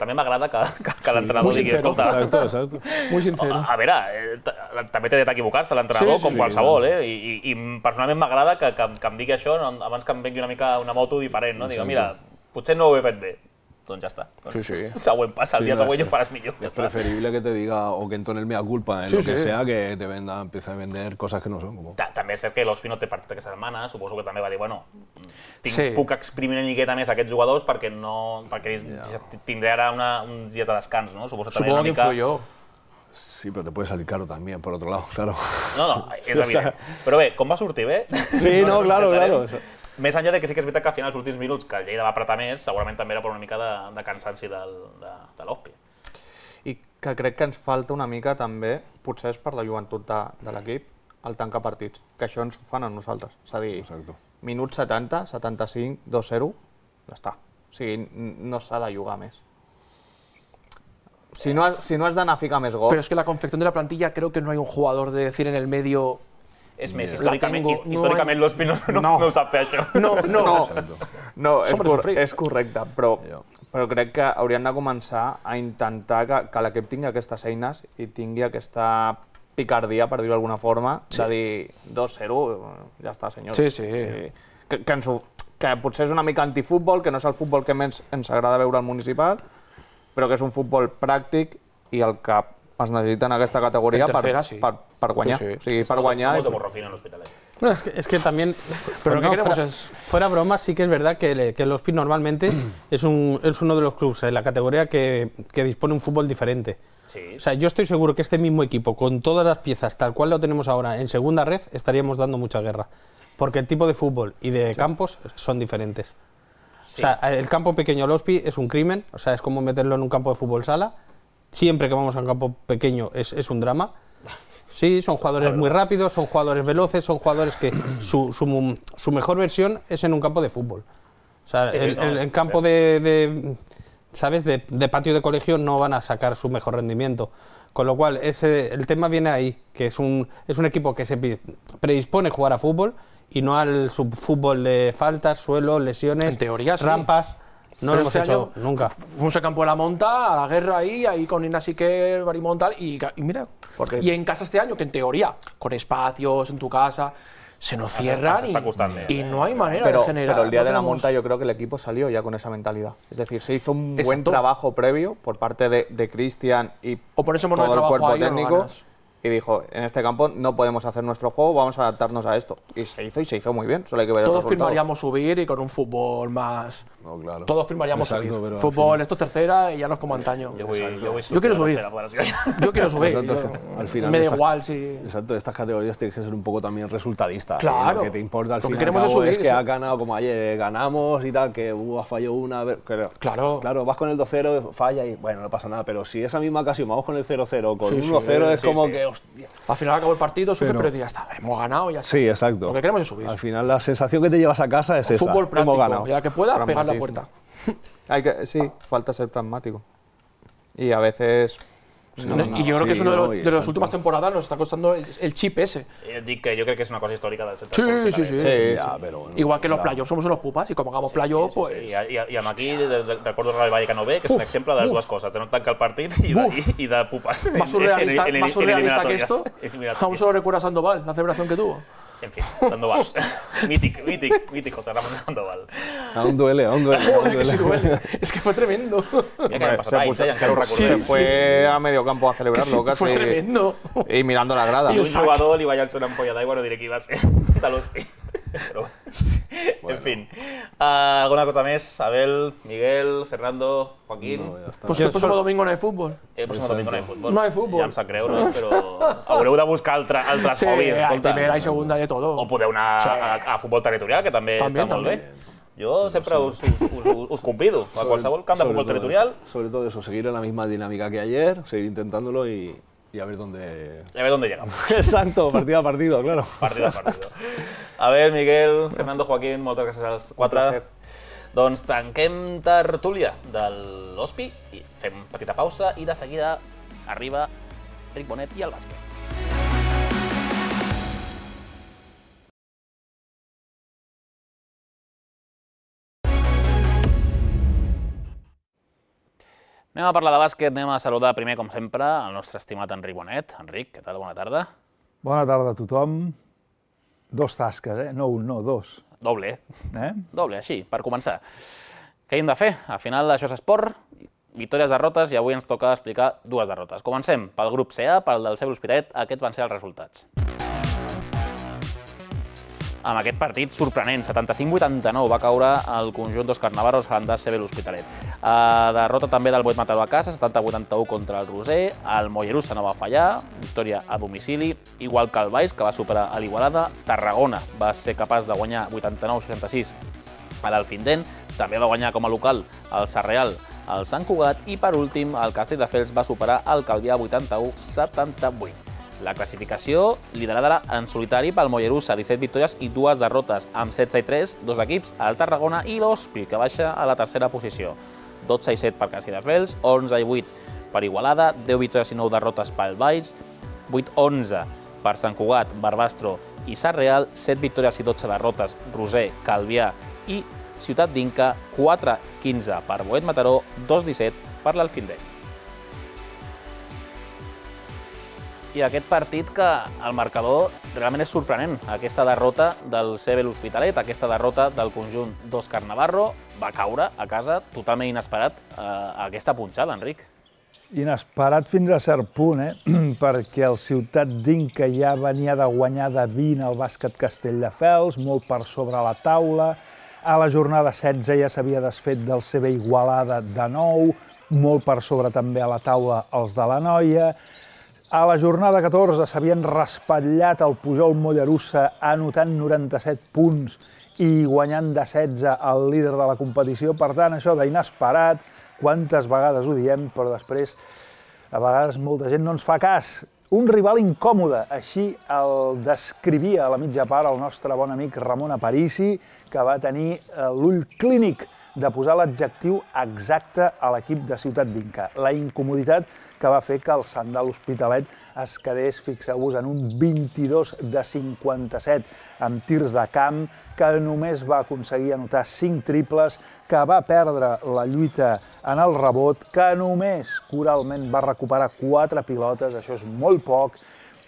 També m'agrada que l'entrenador digui... Exacto. Muy sincero. A veure, també té dret a equivocar-se l'entrenador, com qualsevol, i personalment m'agrada que em digui això abans que em vengui una mica una moto diferent, no? Digue, mira, potser no ho he fet bé. Doncs ja està. Següent passa, el dia següent ho faràs millor. Es preferible que te diga o que entone el mea culpa en lo que sea, que te empiece a vender cosas que no son. També és cert que l'Hospi no té partit aquesta setmana, suposo que també va dir, puc exprimir una miqueta més aquests jugadors perquè tindré ara uns dies de descans, no? Supongo que influyó. Sí, pero te puede salir caro también, por otro lado, claro. No, és evident. Però bé, com va sortir bé? Sí, no, claro. Més enllà de que sí que és veritat que al final, els últims minuts, que el Lleida va apretar més, segurament també era per una mica de cansanci de l'Hospi. I que crec que ens falta una mica també, potser és per la joventut de l'equip, el tancar partits, que això ens ho fan a nosaltres. És a dir, minut 70, 75, 2-0, ja està. O sigui, no s'ha de jugar més. si no has d'anar a ficar més gols... Pero es que la confección de la plantilla creo que no hay un jugador de decir en el medio... És més, La tengo, històricament l'Hospi no ho sap fer, això. No, és correcte, però crec que haurien de començar a intentar que l'equip tingui aquestes eines i tingui aquesta picardia, per dir-ho d'alguna forma, de dir 2-0, ja està, senyors. Sí. Que potser és una mica antifutbol, que no és el futbol que més ens agrada veure al municipal, però que és un futbol pràctic i el que es necesita en aquesta categoría per guanyar. Sí. O sigui, per guanyar... Somos de Borrofino en l'Hospitalet. No, es que también, pero lo que queremos es... Fuera bromas, sí que es verdad que el Hospi normalmente es uno de los clubes en la categoría que dispone un fútbol diferente. Sí. O sea, yo estoy seguro que este mismo equipo, con todas las piezas tal cual lo tenemos ahora en segunda red, estaríamos dando mucha guerra. Porque el tipo de fútbol y de campos son diferentes. Sí. O sea, el campo pequeño al Hospi es un crimen, o sea, es como meterlo en un campo de fútbol sala. Siempre que vamos a un campo pequeño es un drama. Sí, son jugadores muy rápidos, son jugadores veloces, son jugadores que su mejor versión es en un campo de fútbol. O sea, el campo ¿sabes? De patio de colegio no van a sacar su mejor rendimiento. Con lo cual, el tema viene ahí, que es un equipo que se predispone a jugar a fútbol y no al subfútbol de faltas, suelo, lesiones, en teoría, rampas. No lo hemos hecho nunca. Fuimos al campo de la Monta, a la guerra ahí con Inna Siquer, Barimontal, y mira. Y en casa este año, que en teoría, con espacios en tu casa, se nos cierran y no hay manera de generar. Pero el día de la Monta yo creo que el equipo salió ya con esa mentalidad. Es decir, se hizo un buen trabajo previo por parte de Cristian y todo el cuerpo técnico. Y dijo, en este campo no podemos hacer nuestro juego, vamos a adaptarnos a esto. Y se hizo muy bien, solo hay que ver el resultado. Todos firmaríamos subir y con un fútbol más... No, claro. Todos firmaríamos subir. Fútbol, esto es tercera y ya no es como antaño. Yo quiero subir. Yo quiero subir. Al final me da igual si... Exacto, estas categorías tienes que ser un poco también resultadista. Claro. Lo que te importa al final es que has ganado como ayer, ganamos y tal, que has fallado una... Claro, vas con el 2-0, falla y bueno, no pasa nada, pero si esa misma ocasión vamos con el 0-0, con 1-0 es como que... Hostia. Al final acabó el partido, pero ya está, hemos ganado y ya está. Sí, exacto. Lo que queremos es subir. Al final la sensación que te llevas a casa es esa. Fútbol práctico, hemos ganado. ya que pueda, pegar la puerta. Falta ser pragmático. Y a veces... y yo creo que es uno de las últimas temporadas nos está costando el chip ese. Dic que yo creo que es una cosa histórica del centre. Sí. Igual que los playoffs somos unos pupas y como hagamos playoffs, pues... I amb aquí recordo el Real Vallecano B, que és un exemple de les dues coses, de no tancar el partit i de pupes. Más surrealista que esto, aún solo recuerda a Sandoval, la celebración que tuvo. En fin, Sandoval. mític José Ramón Sandoval. Aún duele. Es que fue tremendo. Se fue a medio campo a celebrarlo casi. Fue tremendo. Y mirando la grada. I un jugador li va llançar una ampolla d'aigua, no diré qui va ser, de l'Hospi. Però, en fin. ¿Alguna cosa més? Abel, Miguel, Fernando, Joaquín? No, ja està. Pues el próximo domingo no hay fútbol. El próximo domingo no hay fútbol. No hay fútbol. Ja em sap greu, no? Però haureu de buscar altres hobbies. Hay primera y segunda y de todo. O podeu anar a futbol territorial, que també està molt bé. Jo sempre us convido a qualsevol camp de futbol territorial. Sobre todo eso, seguir en la misma dinámica que ayer, seguir intentándolo y a ver dónde... Y a ver dónde llegamos. Exacto, partido a partido, claro. Partido a partido. A ver, Miguel, Fernando, Joaquín, moltes gràcies als quatre. Doncs tanquem tertúlia de l'Hospi, fem petita pausa i de seguida arriba Ric Bonet i el bàsquet. Anem a parlar de bàsquet, anem a saludar primer, com sempre, el nostre estimat Enric Bonet. Enric, què tal? Bona tarda. Bona tarda a tothom. Dos tasques, no un, no, dos. Doble, Doble, així, per començar. Què hem de fer? Al final això és esport, victòries, derrotes, i avui ens toca explicar dues derrotes. Comencem pel grup CA, pel del CB l'Hospitalet, aquests van ser els resultats. Amb aquest partit sorprenent, 75-89, va caure el conjunt d'Òscar Navarro al CB l'Hospitalet. Derrota també del Boet Mataró a casa, 70-81 contra el Roser, el Mollerussa no va fallar, victòria a domicili, igual que el Baix, que va superar a l'Igualada. Tarragona va ser capaç de guanyar 89-66 a l'Alfindent, també va guanyar com a local el Sarreal al Sant Cugat i, per últim, el Castelldefels va superar el Calvià 81-78. La classificació liderada en solitari pel Mollerussa, 17 victòries i 2 derrotes, amb 16 i 3, dos equips, el Tarragona i l'Hospi, que baixa a la tercera posició. 12 i 7 per Castelldefels, 11 i 8 per Igualada, 10 victòries i 9 derrotes pel Valls, 8-11 per Sant Cugat, Barbastro i Sarreal, 7 victòries i 12 derrotes Roser, Calvià i Ciutat d'Inca, 4-15 per Boet Mataró, 2-17 per l'Alfindell. I aquest partit que el marcador realment és sorprenent. Aquesta derrota del CB l'Hospitalet, aquesta derrota del conjunt d'Òscar Navarro, va caure a casa totalment inesperat aquesta punxada, Enric. Inesperat fins a cert punt, perquè el Ciutat d'Inca ja venia de guanyar de 20 al bàsquet Castelldefels, molt per sobre la taula. A la jornada 16 ja s'havia desfet del CB Igualada de nou, molt per sobre també a la taula els de la Noia. A la jornada 14 s'havien raspallat el Pujol Mollerussa anotant 97 punts i guanyant de 16 el líder de la competició. Per tant, això d'inesperat, quantes vegades ho diem, però després a vegades molta gent no ens fa cas. Un rival incòmode, així el descrivia a la mitja part el nostre bon amic Ramon Aparici, que va tenir l'ull clínic de posar l'adjectiu exacte a l'equip de Ciutat d'Inca. La incomoditat que va fer que el Sant de l'Hospitalet es quedés, fixeu-vos, en un 22 de 57 amb tirs de camp, que només va aconseguir anotar 5 triples, que va perdre la lluita en el rebot, que només coralment va recuperar 4 pilotes, això és molt poc,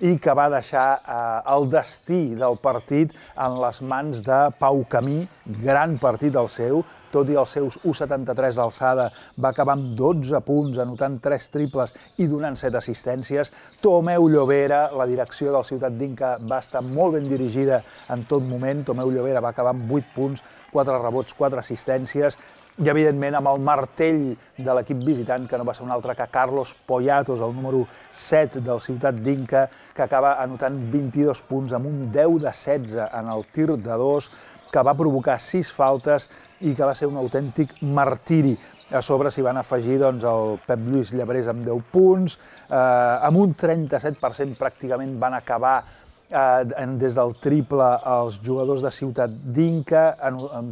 i que va deixar el destí del partit en les mans de Pau Camí, gran partit el seu, tot i els seus 1,73 d'alçada, va acabar amb 12 punts, anotant 3 triples i donant 7 assistències. Tomeu Llobera, la direcció del Ciutat d'Inca va estar molt ben dirigida en tot moment. Tomeu Llobera va acabar amb 8 punts, 4 rebots, 4 assistències, i evidentment amb el martell de l'equip visitant, que no va ser un altre que Carlos Poyatos, el número 7 del Ciutat d'Inca, que acaba anotant 22 punts amb un 10 de 16 en el tir de 2, que va provocar 6 faltes i que va ser un autèntic martiri. A sobre s'hi van afegir el Pep Lluís Llebrés amb 10 punts, amb un 37% pràcticament van acabar des del triple els jugadors de Ciutat d'Inca,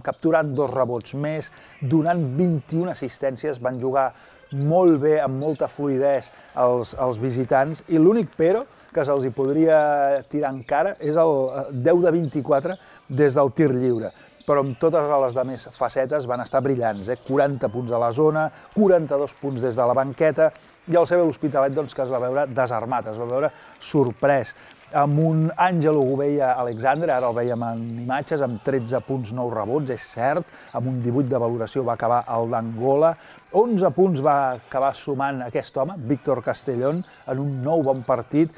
capturant 2 rebots més, donant 21 assistències, van jugar molt bé, amb molta fluïdesa els visitants, i l'únic però que se'ls podria tirar en cara és el 10 de 24 des del tir lliure. Però amb totes les altres facetes van estar brillants, 40 punts a la zona, 42 punts des de la banqueta, i el CB l'Hospitalet que es va veure desarmat, es va veure sorprès, amb un Àngelo Gouveia Alexandre, ara el veiem en imatges, amb 13 punts, 9 rebots, és cert, amb un 18 de valoració va acabar el d'Angola, 11 punts va acabar sumant aquest home, Víctor Castellón, en un nou bon partit,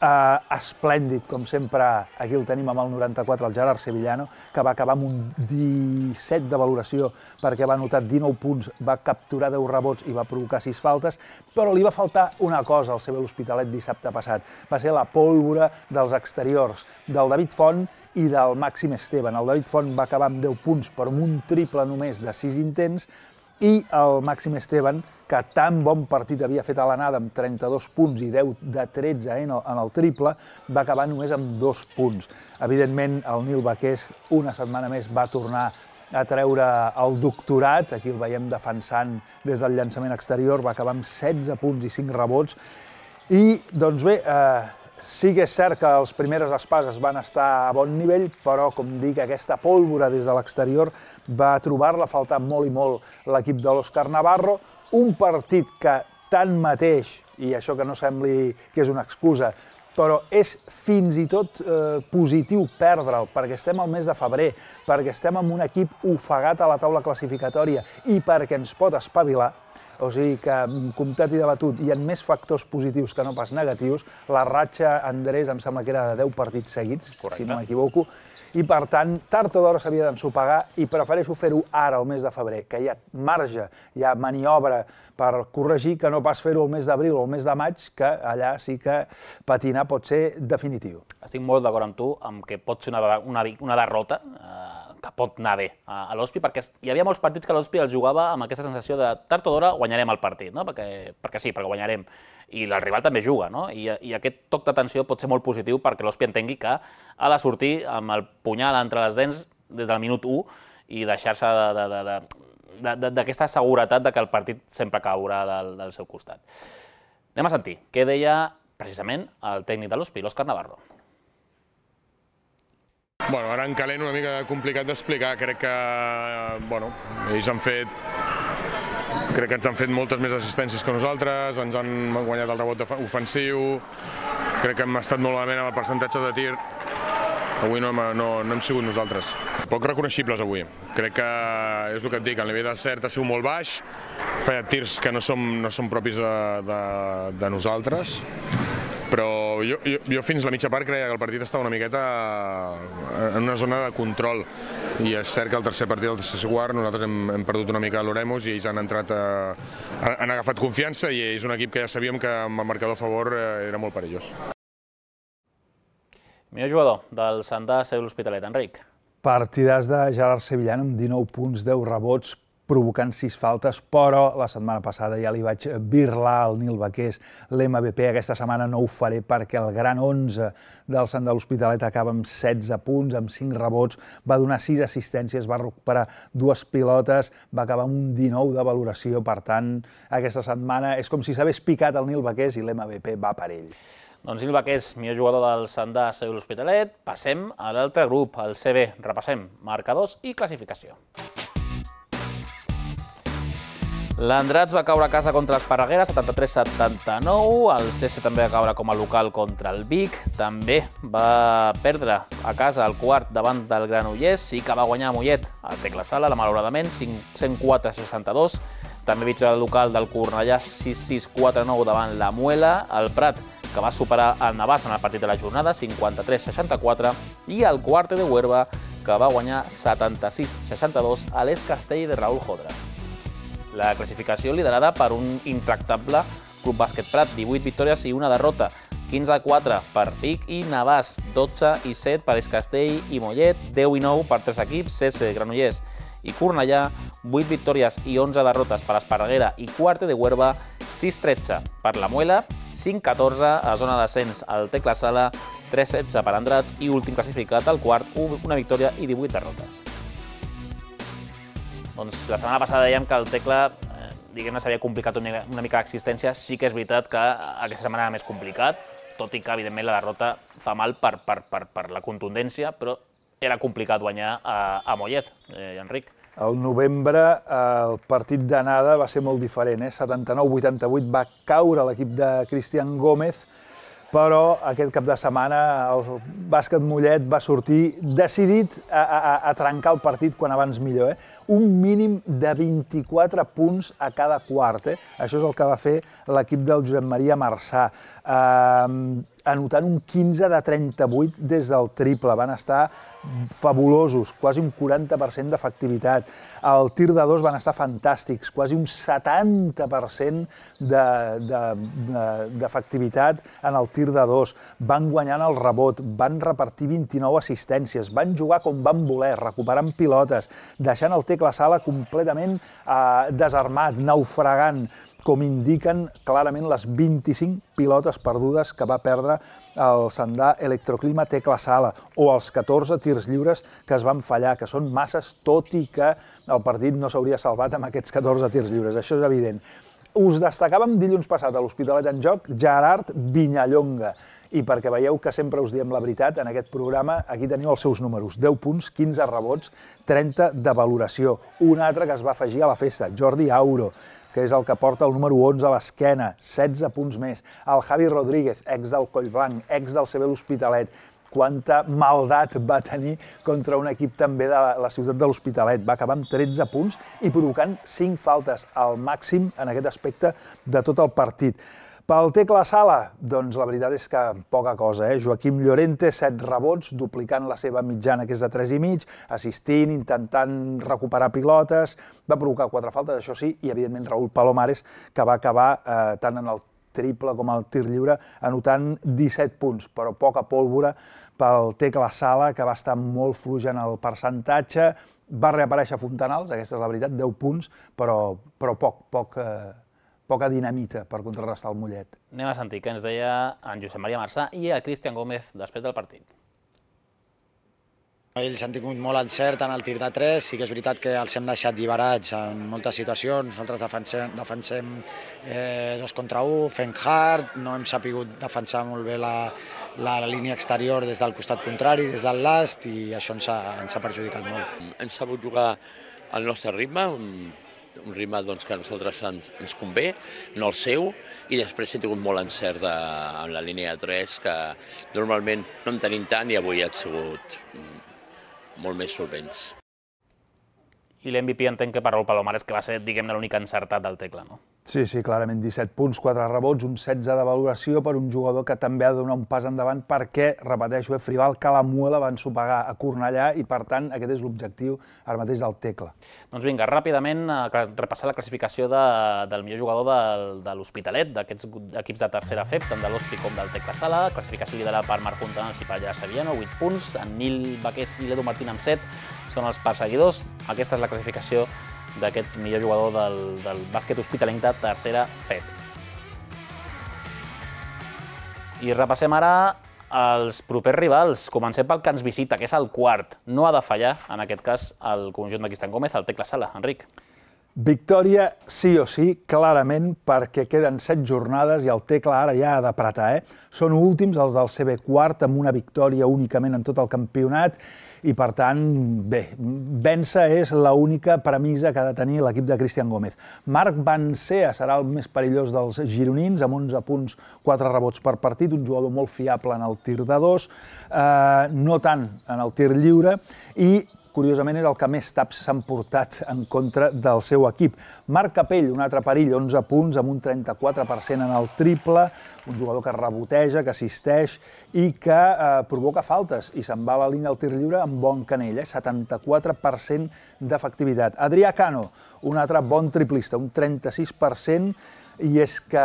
esplèndid, com sempre, aquí el tenim amb el 94, el Gerard Sevillano, que va acabar amb un 17 de valoració perquè va anotar 19 punts, va capturar 10 rebots i va provocar 6 faltes, però li va faltar una cosa al CB l'Hospitalet dissabte passat. Va ser la pólvora dels exteriors, del David Font i del Màxim Esteban. El David Font va acabar amb 10 punts, però amb un triple només de 6 intents, i el Màxim Esteban, que tan bon partit havia fet a l'anada amb 32 punts i 10 de 13 en el triple, va acabar només amb 2 punts. Evidentment, el Nil Baqués, una setmana més, va tornar a treure el doctorat, aquí el veiem defensant des del llançament exterior, va acabar amb 16 punts i 5 rebots, i, doncs bé, sí que és cert que les primeres espases van estar a bon nivell, però, com dic, aquesta pólvora des de l'exterior va trobar-la a faltar molt i molt l'equip de l'Òscar Navarro, un partit que tanmateix, i això que no sembli que és una excusa, però és fins i tot positiu perdre'l, perquè estem al mes de febrer, perquè estem amb un equip ofegat a la taula classificatòria i perquè ens pot espavilar. O sigui que, comptat i debatut, hi ha més factors positius que no pas negatius. La ratxa, Andrés, em sembla que era de 10 partits seguits, si no m'equivoco, i per tant, tard o d'hora s'havia d'ensopegar, i prefereixo fer-ho ara, al mes de febrer, que hi ha marge, hi ha maniobra per corregir, que no pas fer-ho al mes d'abril o al mes de maig, que allà sí que patinar pot ser definitiu. Estic molt d'acord amb tu, amb que pot ser una derrota, que pot anar bé a l'Hospi, perquè hi havia molts partits que l'Hospi els jugava amb aquesta sensació de tard o d'hora guanyarem el partit, perquè sí, perquè guanyarem, i el rival també juga, i aquest toc d'atenció pot ser molt positiu perquè l'Hospi entengui que ha de sortir amb el punyal entre les dents des del minut 1 i deixar-se d'aquesta seguretat que el partit sempre caurà del seu costat. Anem a sentir què deia precisament el tècnic de l'Hospi, l'Òscar Navarro. Ara en calent una mica complicat d'explicar, crec que ells crec que ens han fet moltes més assistències que nosaltres, ens han guanyat el rebot ofensiu, crec que hem estat molt malament amb el percentatge de tir. Avui no hem sigut nosaltres. Poc reconeixibles avui. Crec que és el que et dic, el nivell de cert ha sigut molt baix, feia tirs que no són propis de nosaltres, però jo fins la mitja part creia que el partit estava una miqueta en una zona de control i és cert que el tercer partit, el tercer quart, nosaltres hem perdut una mica l'Oremus i ells han agafat confiança i és un equip que ja sabíem que amb el marcador a favor era molt perillós. Millor jugador del Sandà Seu l'Hospitalet, Enric. Partidàs de Gerard Sevillano amb 19 punts, 10 rebots, provocant 6 faltes, però la setmana passada ja li vaig birlar al Nil Baqués l'MVP. Aquesta setmana no ho faré perquè el gran 11 del Sant de l'Hospitalet acaba amb 16 punts, amb 5 rebots, va donar 6 assistències, va recuperar 2 pilotes, va acabar amb un 19 de valoració. Per tant, aquesta setmana és com si s'hagués picat el Nil Baqués i l'MVP va per ell. Doncs Nil Baqués, millor jugador del Sandà Seu l'Hospitalet. Passem a l'altre grup, el CB. Repassem marcadors i classificació. L'Andrats va caure a casa contra l'Esparreguera, 73-79. El CS també va caure com a local contra el Vic. També va perdre a casa el quart davant del Granollers. Sí que va guanyar a Mollet a Tecla Sala, malauradament, 104-62. També victòria local del Cornellà, 6-6-4-9 davant la Muela. El Prat, que va superar el Navàs en el partit de la jornada, 53-64. I el Quarte de Huerva, que va guanyar 76-62 a l'Es Castell de Raúl Jodra. La classificació liderada per un intractable Club Bàsquet Prat, 18 victòries i una derrota, 15-4 per Vic i Navàs, 12-7 per Es Castell i Mollet, 10-9 per 3 equips, CS, Granollers i Cornellà, 8 victòries i 11 derrotes per Esparreguera i Quarte de Huerva, 6-13 per la Muela, 5-14 a zona d'ascens al Tecla Sala, 3-16 per Andrats i últim classificat al quart, una victòria i 18 derrotes. Doncs la setmana passada dèiem que el Tecla diguem-ne s'havia complicat una mica l'existència. Sí que és veritat que aquesta setmana era més complicat, tot i que evidentment la derrota fa mal per la contundència, però era complicat guanyar a Mollet, Enric. Al novembre el partit d'anada va ser molt diferent, 79-88 va caure l'equip de Cristian Gómez, però aquest cap de setmana el bàsquet Mollet va sortir decidit a trencar el partit quan abans millor. Un mínim de 24 punts a cada quart. Això és el que va fer l'equip del Josep Maria Marçà, anotant un 15 de 38 des del triple. Van estar fabulosos, quasi un 40% d'efectivitat. El tir de dos van estar fantàstics, quasi un 70% d'efectivitat en el tir de dos. Van guanyant el rebot, van repartir 29 assistències, van jugar com van voler, recuperant pilotes, deixant el Tecla Sala completament desarmat, naufragant, com indiquen clarament les 25 pilotes perdudes que va perdre el Sandà Electroclima Tecla Sala, o els 14 tirs lliures que es van fallar, que són masses, tot i que el partit no s'hauria salvat amb aquests 14 tirs lliures, això és evident. Us destacàvem dilluns passat a l'Hospitalet en Joc Gerard Vinyallonga, i perquè veieu que sempre us diem la veritat en aquest programa, aquí teniu els seus números, 10 punts, 15 rebots, 30 de valoració. Un altre que es va afegir a la festa, Jordi Auro, que és el que porta el número 11 a l'esquena, 16 punts més. El Javi Rodríguez, ex del Collblanc, ex del CB l'Hospitalet. Quanta maldat va tenir contra un equip també de la ciutat de l'Hospitalet. Va acabar amb 13 punts i provocant 5 faltes, al màxim en aquest aspecte de tot el partit. Pel Tecla Sala, doncs la veritat és que poca cosa. Joaquim Llorente, 7 rebots, duplicant la seva mitjana, que és de 3,5, assistint, intentant recuperar pilotes, va provocar 4 faltes, això sí, i evidentment Raúl Palomares, que va acabar tant en el triple com al tir lliure, anotant 17 punts, però poca pólvora pel Tecla Sala, que va estar molt fluix en el percentatge. Va reaparèixer Fontanals, aquesta és la veritat, 10 punts, però poca dinamita per contrarrestar el Mollet. Anem a sentir què ens deia en Josep Maria Marçà i a Cristian Gómez després del partit. Ells han tingut molt encert en el tir de 3, sí que és veritat que els hem deixat lliberats en moltes situacions, nosaltres defensem 2 contra 1, fent hard, no hem sapigut defensar molt bé la línia exterior des del costat contrari, des del last, i això ens ha perjudicat molt. Hem sabut jugar al nostre ritme, un ritme que a nosaltres ens convé, no el seu, i després he tingut molt encert en la línia de 3, que normalment no en tenim tant i avui ha sigut molt més solvents. I l'MVP entenc que per Raúl Palomares, que va ser, diguem-ne, l'únic encertat del Tecla, no? Sí, clarament, 17 punts, 4 rebots, un 16 de valoració per un jugador que també ha de donar un pas endavant perquè, repeteixo, Frival, Calamuela van sopegar a Cornellà i, per tant, aquest és l'objectiu ara mateix del Tecla. Doncs vinga, ràpidament repassar la classificació del millor jugador de l'Hospitalet, d'aquests equips de tercera FEP, tant de l'Hospi com del Tecla Sala. Classificació liderada per Marc Fontanals i per Llara Sevillano, 8 punts. En Nil Baqués i l'Edu Martín amb 7 són els perseguidors. Aquesta és la classificació d'aquest millor jugador del bàsquet hospitalenc de tercera FEP. I repassem ara els propers rivals. Comencem pel que ens visita, que és el quart. No ha de fallar, en aquest cas, el conjunt de Cristian Gómez, el Tecla Sala. Enric. Victòria sí o sí, clarament, perquè queden 7 jornades i el Tecla ara ja ha d'apretar. Són últims els del CB quart, amb una victòria únicament en tot el campionat, i per tant, bé, vèncer és l'única premissa que ha de tenir l'equip de Cristian Gómez. Marc Bancea serà el més perillós dels gironins, amb 11 punts, 4 rebots per partit, un jugador molt fiable en el tir de 2, no tant en el tir lliure, i curiosament és el que més taps s'han portat en contra del seu equip. Marc Capell, un altre perill, 11 punts, amb un 34% en el triple, un jugador que reboteja, que assisteix i que provoca faltes i se'n va a la línia del tir lliure amb bon canell, 74% d'efectivitat. Adrià Cano, un altre bon triplista, un 36%, i és que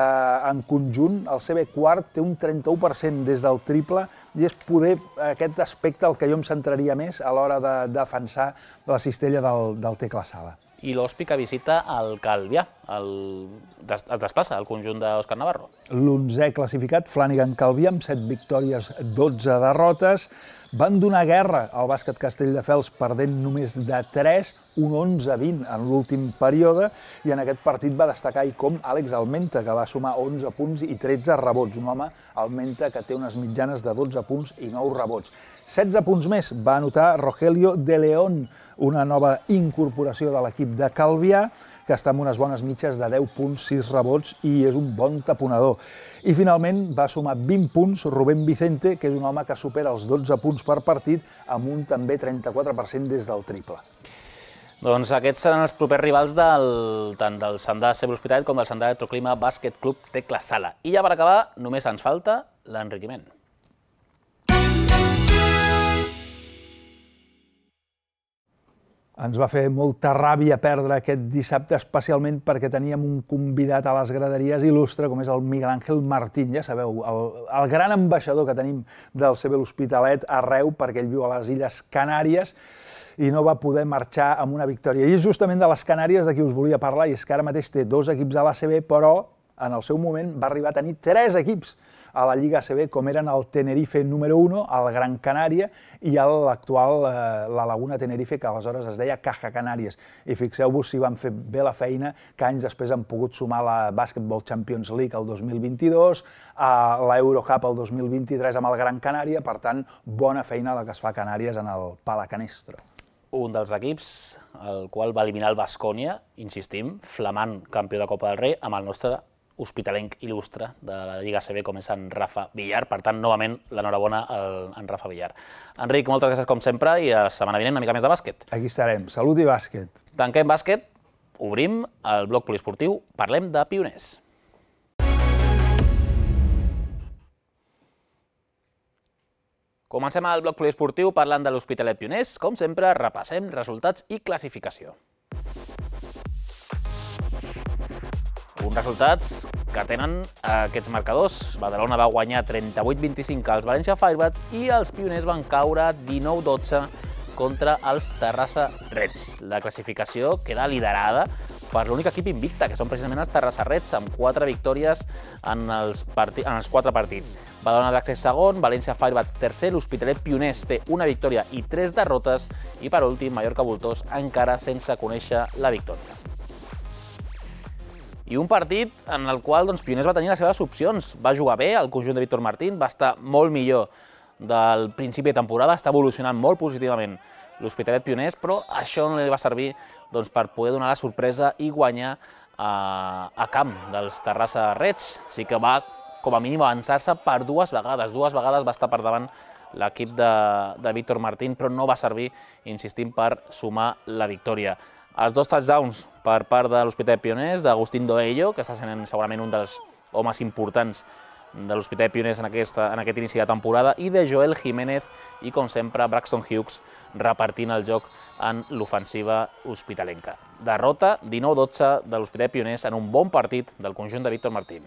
en conjunt el CB quart té un 31% des del triple i és poder aquest aspecte el que jo em centraria més a l'hora de defensar la cistella del Tecla Sala. I l'Hospi que visita el Calvià, es desplaça al conjunt d'Òscar Navarro. L'11è classificat, Flanagan Calvià, amb 7 victòries, 12 derrotes. Van donar guerra al bàsquet Castelldefels perdent només de 3, un 11-20 en l'últim període, i en aquest partit va destacar com Àlex Almenta, que va sumar 11 punts i 13 rebots. Un home, Almenta, que té unes mitjanes de 12 punts i 9 rebots. 16 punts més va anotar Rogelio de León, una nova incorporació de l'equip de Calvià, que està amb unes bones mitges de 10 punts, 6 rebots i és un bon taponador. I finalment va sumar 20 punts Rubén Vicente, que és un home que supera els 12 punts per partit, amb un també 34% des del triple. Doncs aquests seran els propers rivals tant del Sandà CB Hospitalet com del Sandà Electroclima Bàsquet Club Tecla Sala. I ja per acabar, només ens falta l'enriquiment. Ens va fer molta ràbia perdre aquest dissabte, especialment perquè teníem un convidat a les graderies il·lustre, com és el Miguel Ángel Martín, ja sabeu, el gran ambaixador que tenim del CB L'Hospitalet arreu, perquè ell viu a les Illes Canàries, i no va poder marxar amb una victòria. I és justament de les Canàries de qui us volia parlar, i és que ara mateix té 2 equips a l'ACB, però en el seu moment va arribar a tenir 3 equips a la Lliga ACB, com eren el Tenerife número 1, el Gran Canària, i l'actual la Laguna Tenerife, que aleshores es deia Caja Canàries. I fixeu-vos si van fer bé la feina, que anys després han pogut sumar la Basketball Champions League el 2022, l'Eurocup el 2023 amb el Gran Canària, per tant, bona feina la que es fa a Canàries en el Palacanestro. Un dels equips, el qual va eliminar el Baskonia, insistim, flamant campió de Copa del Rei, amb el nostre hospitalenc il·lustre de la Lliga ACB, com és en Rafa Villar. Per tant, novament, l'enhorabona a en Rafa Villar. Enric, moltes gràcies com sempre i la setmana vinent una mica més de bàsquet. Aquí estarem. Salut i bàsquet. Tanquem bàsquet, obrim el bloc poliesportiu, parlem de pioners. Comencem el bloc poliesportiu parlant de l'Hospitalet Pioners. Com sempre, repassem resultats i classificació. Uns resultats que tenen aquests marcadors. Badalona va guanyar 38-25 als València Firebats i els Pioners van caure 19-12 contra els Terrassa Reds. La classificació queda liderada per l'únic equip invicte, que són precisament els Terrassa Reds, amb 4 victòries en els 4 partits. Badalona Dracs segon, València Firebats tercer, l'Hospitalet Pioners té una victòria i 3 derrotes i per últim Mallorca Voltors encara sense conèixer la victòria. I un partit en el qual Pioners va tenir les seves opcions. Va jugar bé el conjunt de Víctor Martín, va estar molt millor del principi de temporada, està evolucionant molt positivament l'Hospitalet Pioners, però això no li va servir per poder donar la sorpresa i guanyar a camp dels Terrassa Reds. Sí que va, com a mínim, avançar-se per dues vegades. Dues vegades va estar per davant l'equip de Víctor Martín, però no va servir, insistim, per sumar la victòria. Els 2 touchdowns per part de l'Hospitalet Pioners, d'Agustín Doello, que està sent segurament un dels homes importants de l'Hospitalet Pioners en aquest inici de temporada, i de Joel Jiménez i, com sempre, Braxton Hughes repartint el joc en l'ofensiva hospitalenca. Derrota 19-12 de l'Hospitalet Pioners en un bon partit del conjunt de Víctor Martín.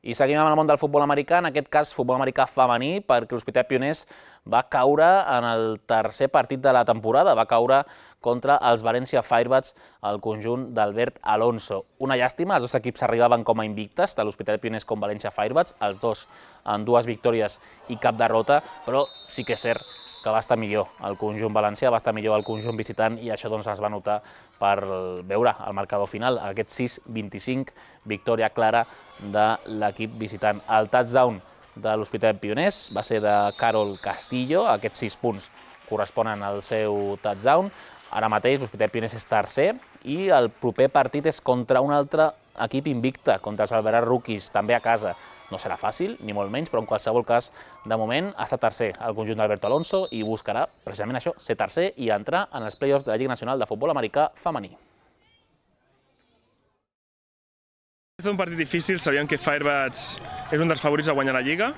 I seguim amb el món del futbol americà, en aquest cas futbol americà femení, perquè l'Hospitalet Pioners va caure en el tercer partit de la temporada, va caure contra els València Firebats, el conjunt d'Albert Alonso. Una llàstima, els dos equips arribaven com a invictes, tant l'Hospitalet Pioners com València Firebats, els dos amb 2 victòries i cap derrota, però sí que és cert que va estar millor el conjunt valencià, va estar millor el conjunt visitant i això es va notar per veure el marcador final, aquest 6-25, victòria clara de l'equip visitant. El touchdown de l'Hospitalet Pioners va ser de Carol Castillo, aquests 6 punts corresponen al seu touchdown. Ara mateix l'Hospitalet Pioners és tercer i el proper partit és contra un altre equip invicte, contra els Barberà Rookies, també a casa. No serà fàcil, ni molt menys, però en qualsevol cas, de moment, està tercer el conjunt d'Alberto Alonso i buscarà precisament això, ser tercer i entrar en els play-offs de la Lliga Nacional de Futbol Americà Femení. És un partit difícil, sabíem que Firebats és un dels favorits a guanyar la Lliga,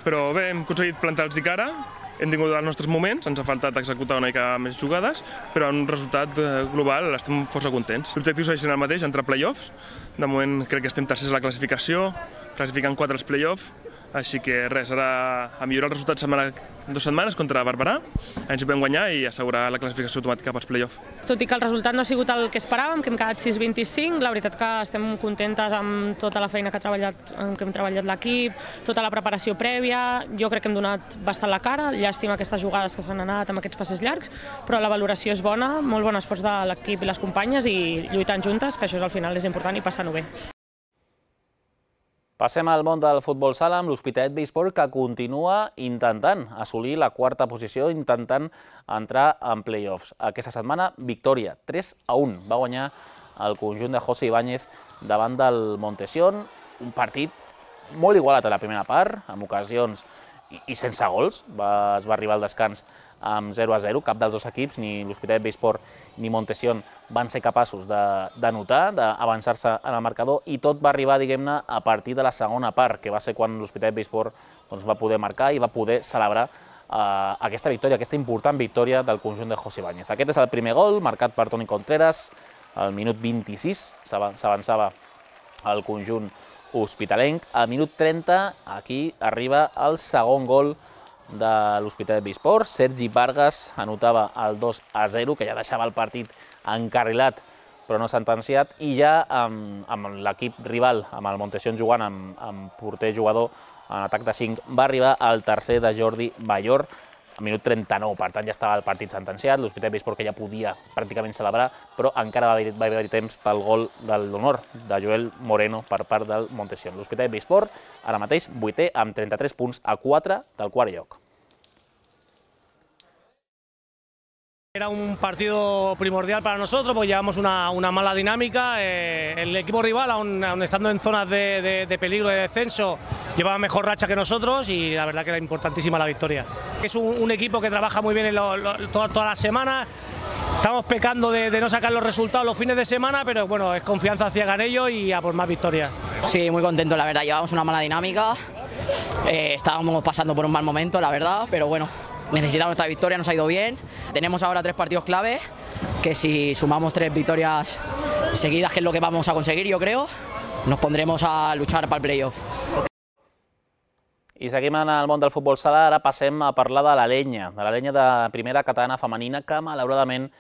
però bé, hem aconseguit plantar-los cara, hem tingut els nostres moments, ens ha faltat executar una mica més jugades, però en un resultat global estem força contents. L'objectiu segueix sent el mateix, entrar a play-offs. De moment crec que estem tercers a la classificació, classificant 4 als play-offs, així que res, ara a millorar el resultat en 2 setmanes contra Barberà, ens hi podem guanyar i assegurar la classificació automàtica pels play-offs. Tot i que el resultat no ha sigut el que esperàvem, que hem quedat 6-25, la veritat que estem contentes amb tota la feina que hem treballat l'equip, tota la preparació prèvia, jo crec que hem donat bastant la cara, llàstima aquestes jugades que s'han anat amb aquests passes llargs, però la valoració és bona, molt bon esforç de l'equip i les companyes i lluitant juntes, que això al final és important i passant-ho bé. Passem al món del futbol sala amb l'Hospitalet Besport, que continua intentant assolir la 4a posició, intentant entrar en play-offs. Aquesta setmana, victòria, 3-1. Va guanyar el conjunt de José Ibáñez davant del Montesión. Un partit molt igualat a la primera part, amb ocasions i sense gols. Es va arribar al descans amb 0-0. Cap dels dos equips, ni l'Hospitalet Besport ni Montesión, van ser capaços d'anotar, d'avançar-se en el marcador, i tot va arribar, diguem-ne, a partir de la segona part, que va ser quan l'Hospitalet Besport va poder marcar i va poder celebrar aquesta victòria, aquesta important victòria del conjunt de José Ibáñez. Aquest és el primer gol, marcat per Toni Contreras, al minut 26, s'avançava el conjunt hospitalenc. Al minut 30, aquí arriba el segon gol de l'Hospitalet Besport. Sergi Vargas anotava el 2-0, que ja deixava el partit encarrilat però no sentenciat, i ja amb l'equip rival, amb el Montesión jugant amb porter jugador en atac de 5, va arribar el tercer de Jordi Mayor, al minut 39, per tant ja estava el partit sentenciat, l'Hospitalet Besport que ja podia pràcticament celebrar, però encara va haver-hi temps pel gol de l'honor de Joel Moreno per part del Montesión. L'Hospitalet Besport ara mateix 8è amb 33 punts a 4 del quart lloc. Era un partido primordial para nosotros porque llevamos una mala dinámica. El equipo rival, aun estando en zonas de peligro de descenso, llevaba mejor racha que nosotros y la verdad que era importantísima la victoria. Es un equipo que trabaja muy bien todas las semanas. Estamos pecando de no sacar los resultados los fines de semana, pero bueno, es confianza ciega en ello y a por más victorias. Sí, muy contento, la verdad. Llevamos una mala dinámica. Estábamos pasando por un mal momento, la verdad, pero bueno. Necesitamos esta victoria, nos ha ido bien. Tenemos ahora 3 partidos clave, que si sumamos 3 victorias seguidas, que es lo que vamos a conseguir, yo creo, nos pondremos a luchar para el playoff. I seguim en el món del futbol sala, ara passem a parlar de la Lenya de primera catalana femenina, que malauradament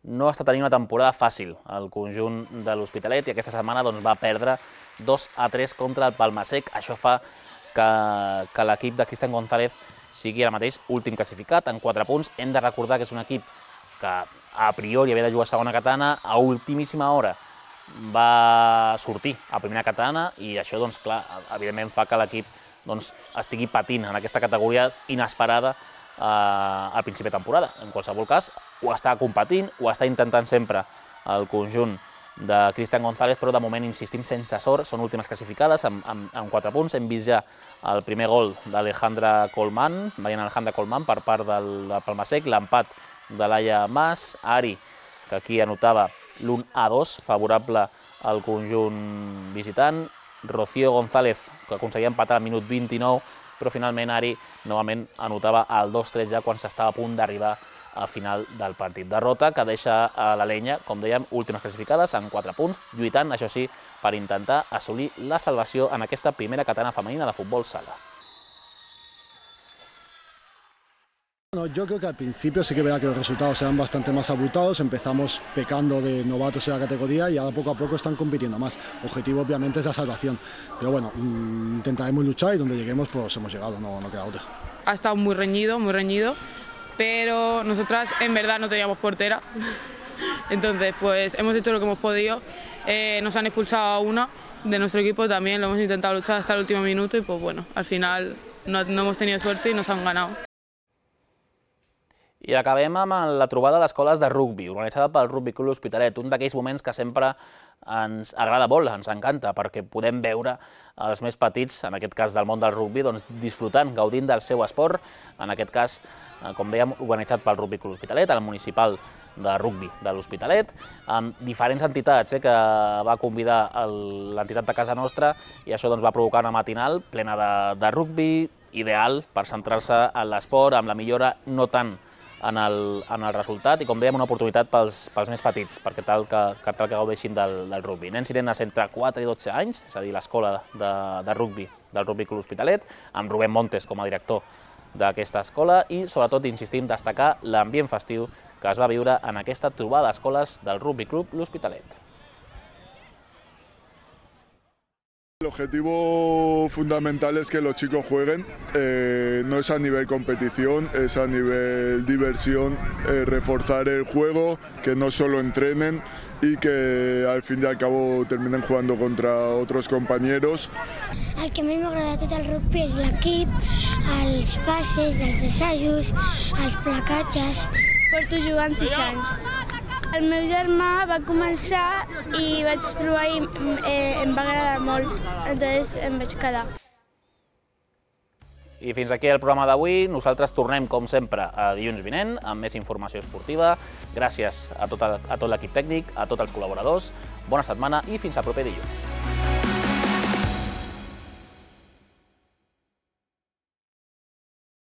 no està tenint una temporada fàcil el conjunt de l'Hospitalet i aquesta setmana va perdre 2-3 contra el Palmasec. Això fa que l'equip de Cristian González sigui ara mateix últim classificat en 4 punts. Hem de recordar que és un equip que a priori havia de jugar a segona catalana, a ultimíssima hora va sortir a primera catalana i això, clar, evidentment fa que l'equip estigui patint en aquesta categoria inesperada al principi de temporada. En qualsevol cas, ho està competint, ho està intentant sempre el conjunt de Cristian González, però de moment, insistim, sense sort, són últimes classificades amb 4 punts. Hem vist ja el primer gol d'Alejandra Colman, Mariana Alejandra Colman, per part del Palmasec, l'empat de Laia Mas, Ari, que aquí anotava l'1-2, favorable al conjunt visitant, Rocío González, que aconseguia empatar al minut 29, però finalment Ari novament anotava el 2-3 ja quan s'estava a punt d'arribar al final del partit. Derrota que deixa a la Lenya, com dèiem, últimes classificades en 4 punts, lluitant, això sí, per intentar assolir la salvació en aquesta primera catalana femenina de futbol sala. Bueno, yo creo que al principio sí que verá que los resultados eran bastante más abultados, empezamos pecando de novatos en la categoría y ahora poco a poco están compitiendo más. El objetivo obviamente es la salvación, pero bueno, intentaremos luchar y donde lleguemos pues hemos llegado, no queda otra. Ha estado muy reñido, pero nosotras en verdad no teníamos portera, entonces pues hemos hecho lo que hemos podido, nos han expulsado a una de nuestro equipo también, lo hemos intentado luchar hasta el último minuto y pues bueno, al final no hemos tenido suerte y nos han ganado. I acabem amb la trobada d'escoles de rugbi, organitzada pel Rugby Club L'Hospitalet, un d'aquells moments que sempre ens agrada molt, ens encanta, perquè podem veure els més petits, en aquest cas del món del rugbi, disfrutant, gaudint del seu esport, en aquest cas, com dèiem, organitzat pel Rugby Club L'Hospitalet, el municipal de rugbi de l'Hospitalet, amb diferents entitats que va convidar l'entitat de casa nostra i això va provocar una matinal plena de rugbi, ideal per centrar-se en l'esport, amb la millora no tant en el resultat i, com dèiem, una oportunitat pels més petits, perquè tal que gaudeixin del rugbi. Nens i nenes entre 4 i 12 anys, és a dir, l'escola de rugbi del Rugby Club L'Hospitalet, amb Rubén Montes com a director d'aquesta escola i, sobretot, insistim, destacar l'ambient festiu que es va viure en aquesta trobada d'escoles del Rugby Club L'Hospitalet. El objetivo fundamental es que los chicos jueguen, no es a nivel competición, es a nivel diversión, reforzar el juego, que no solo entrenen y que al fin y al cabo terminen jugando contra otros compañeros. El que més m'agrada tot el rugby és l'equip, els passes, els assajos, els placatges. Porto jugant 6 anys. El meu germà va començar i vaig provar i em va agradar molt, entonces em vaig quedar. I fins aquí el programa d'avui. Nosaltres tornem, com sempre, a dilluns vinent amb més informació esportiva. Gràcies a tot l'equip tècnic, a tots els col·laboradors. Bona setmana i fins al proper dilluns.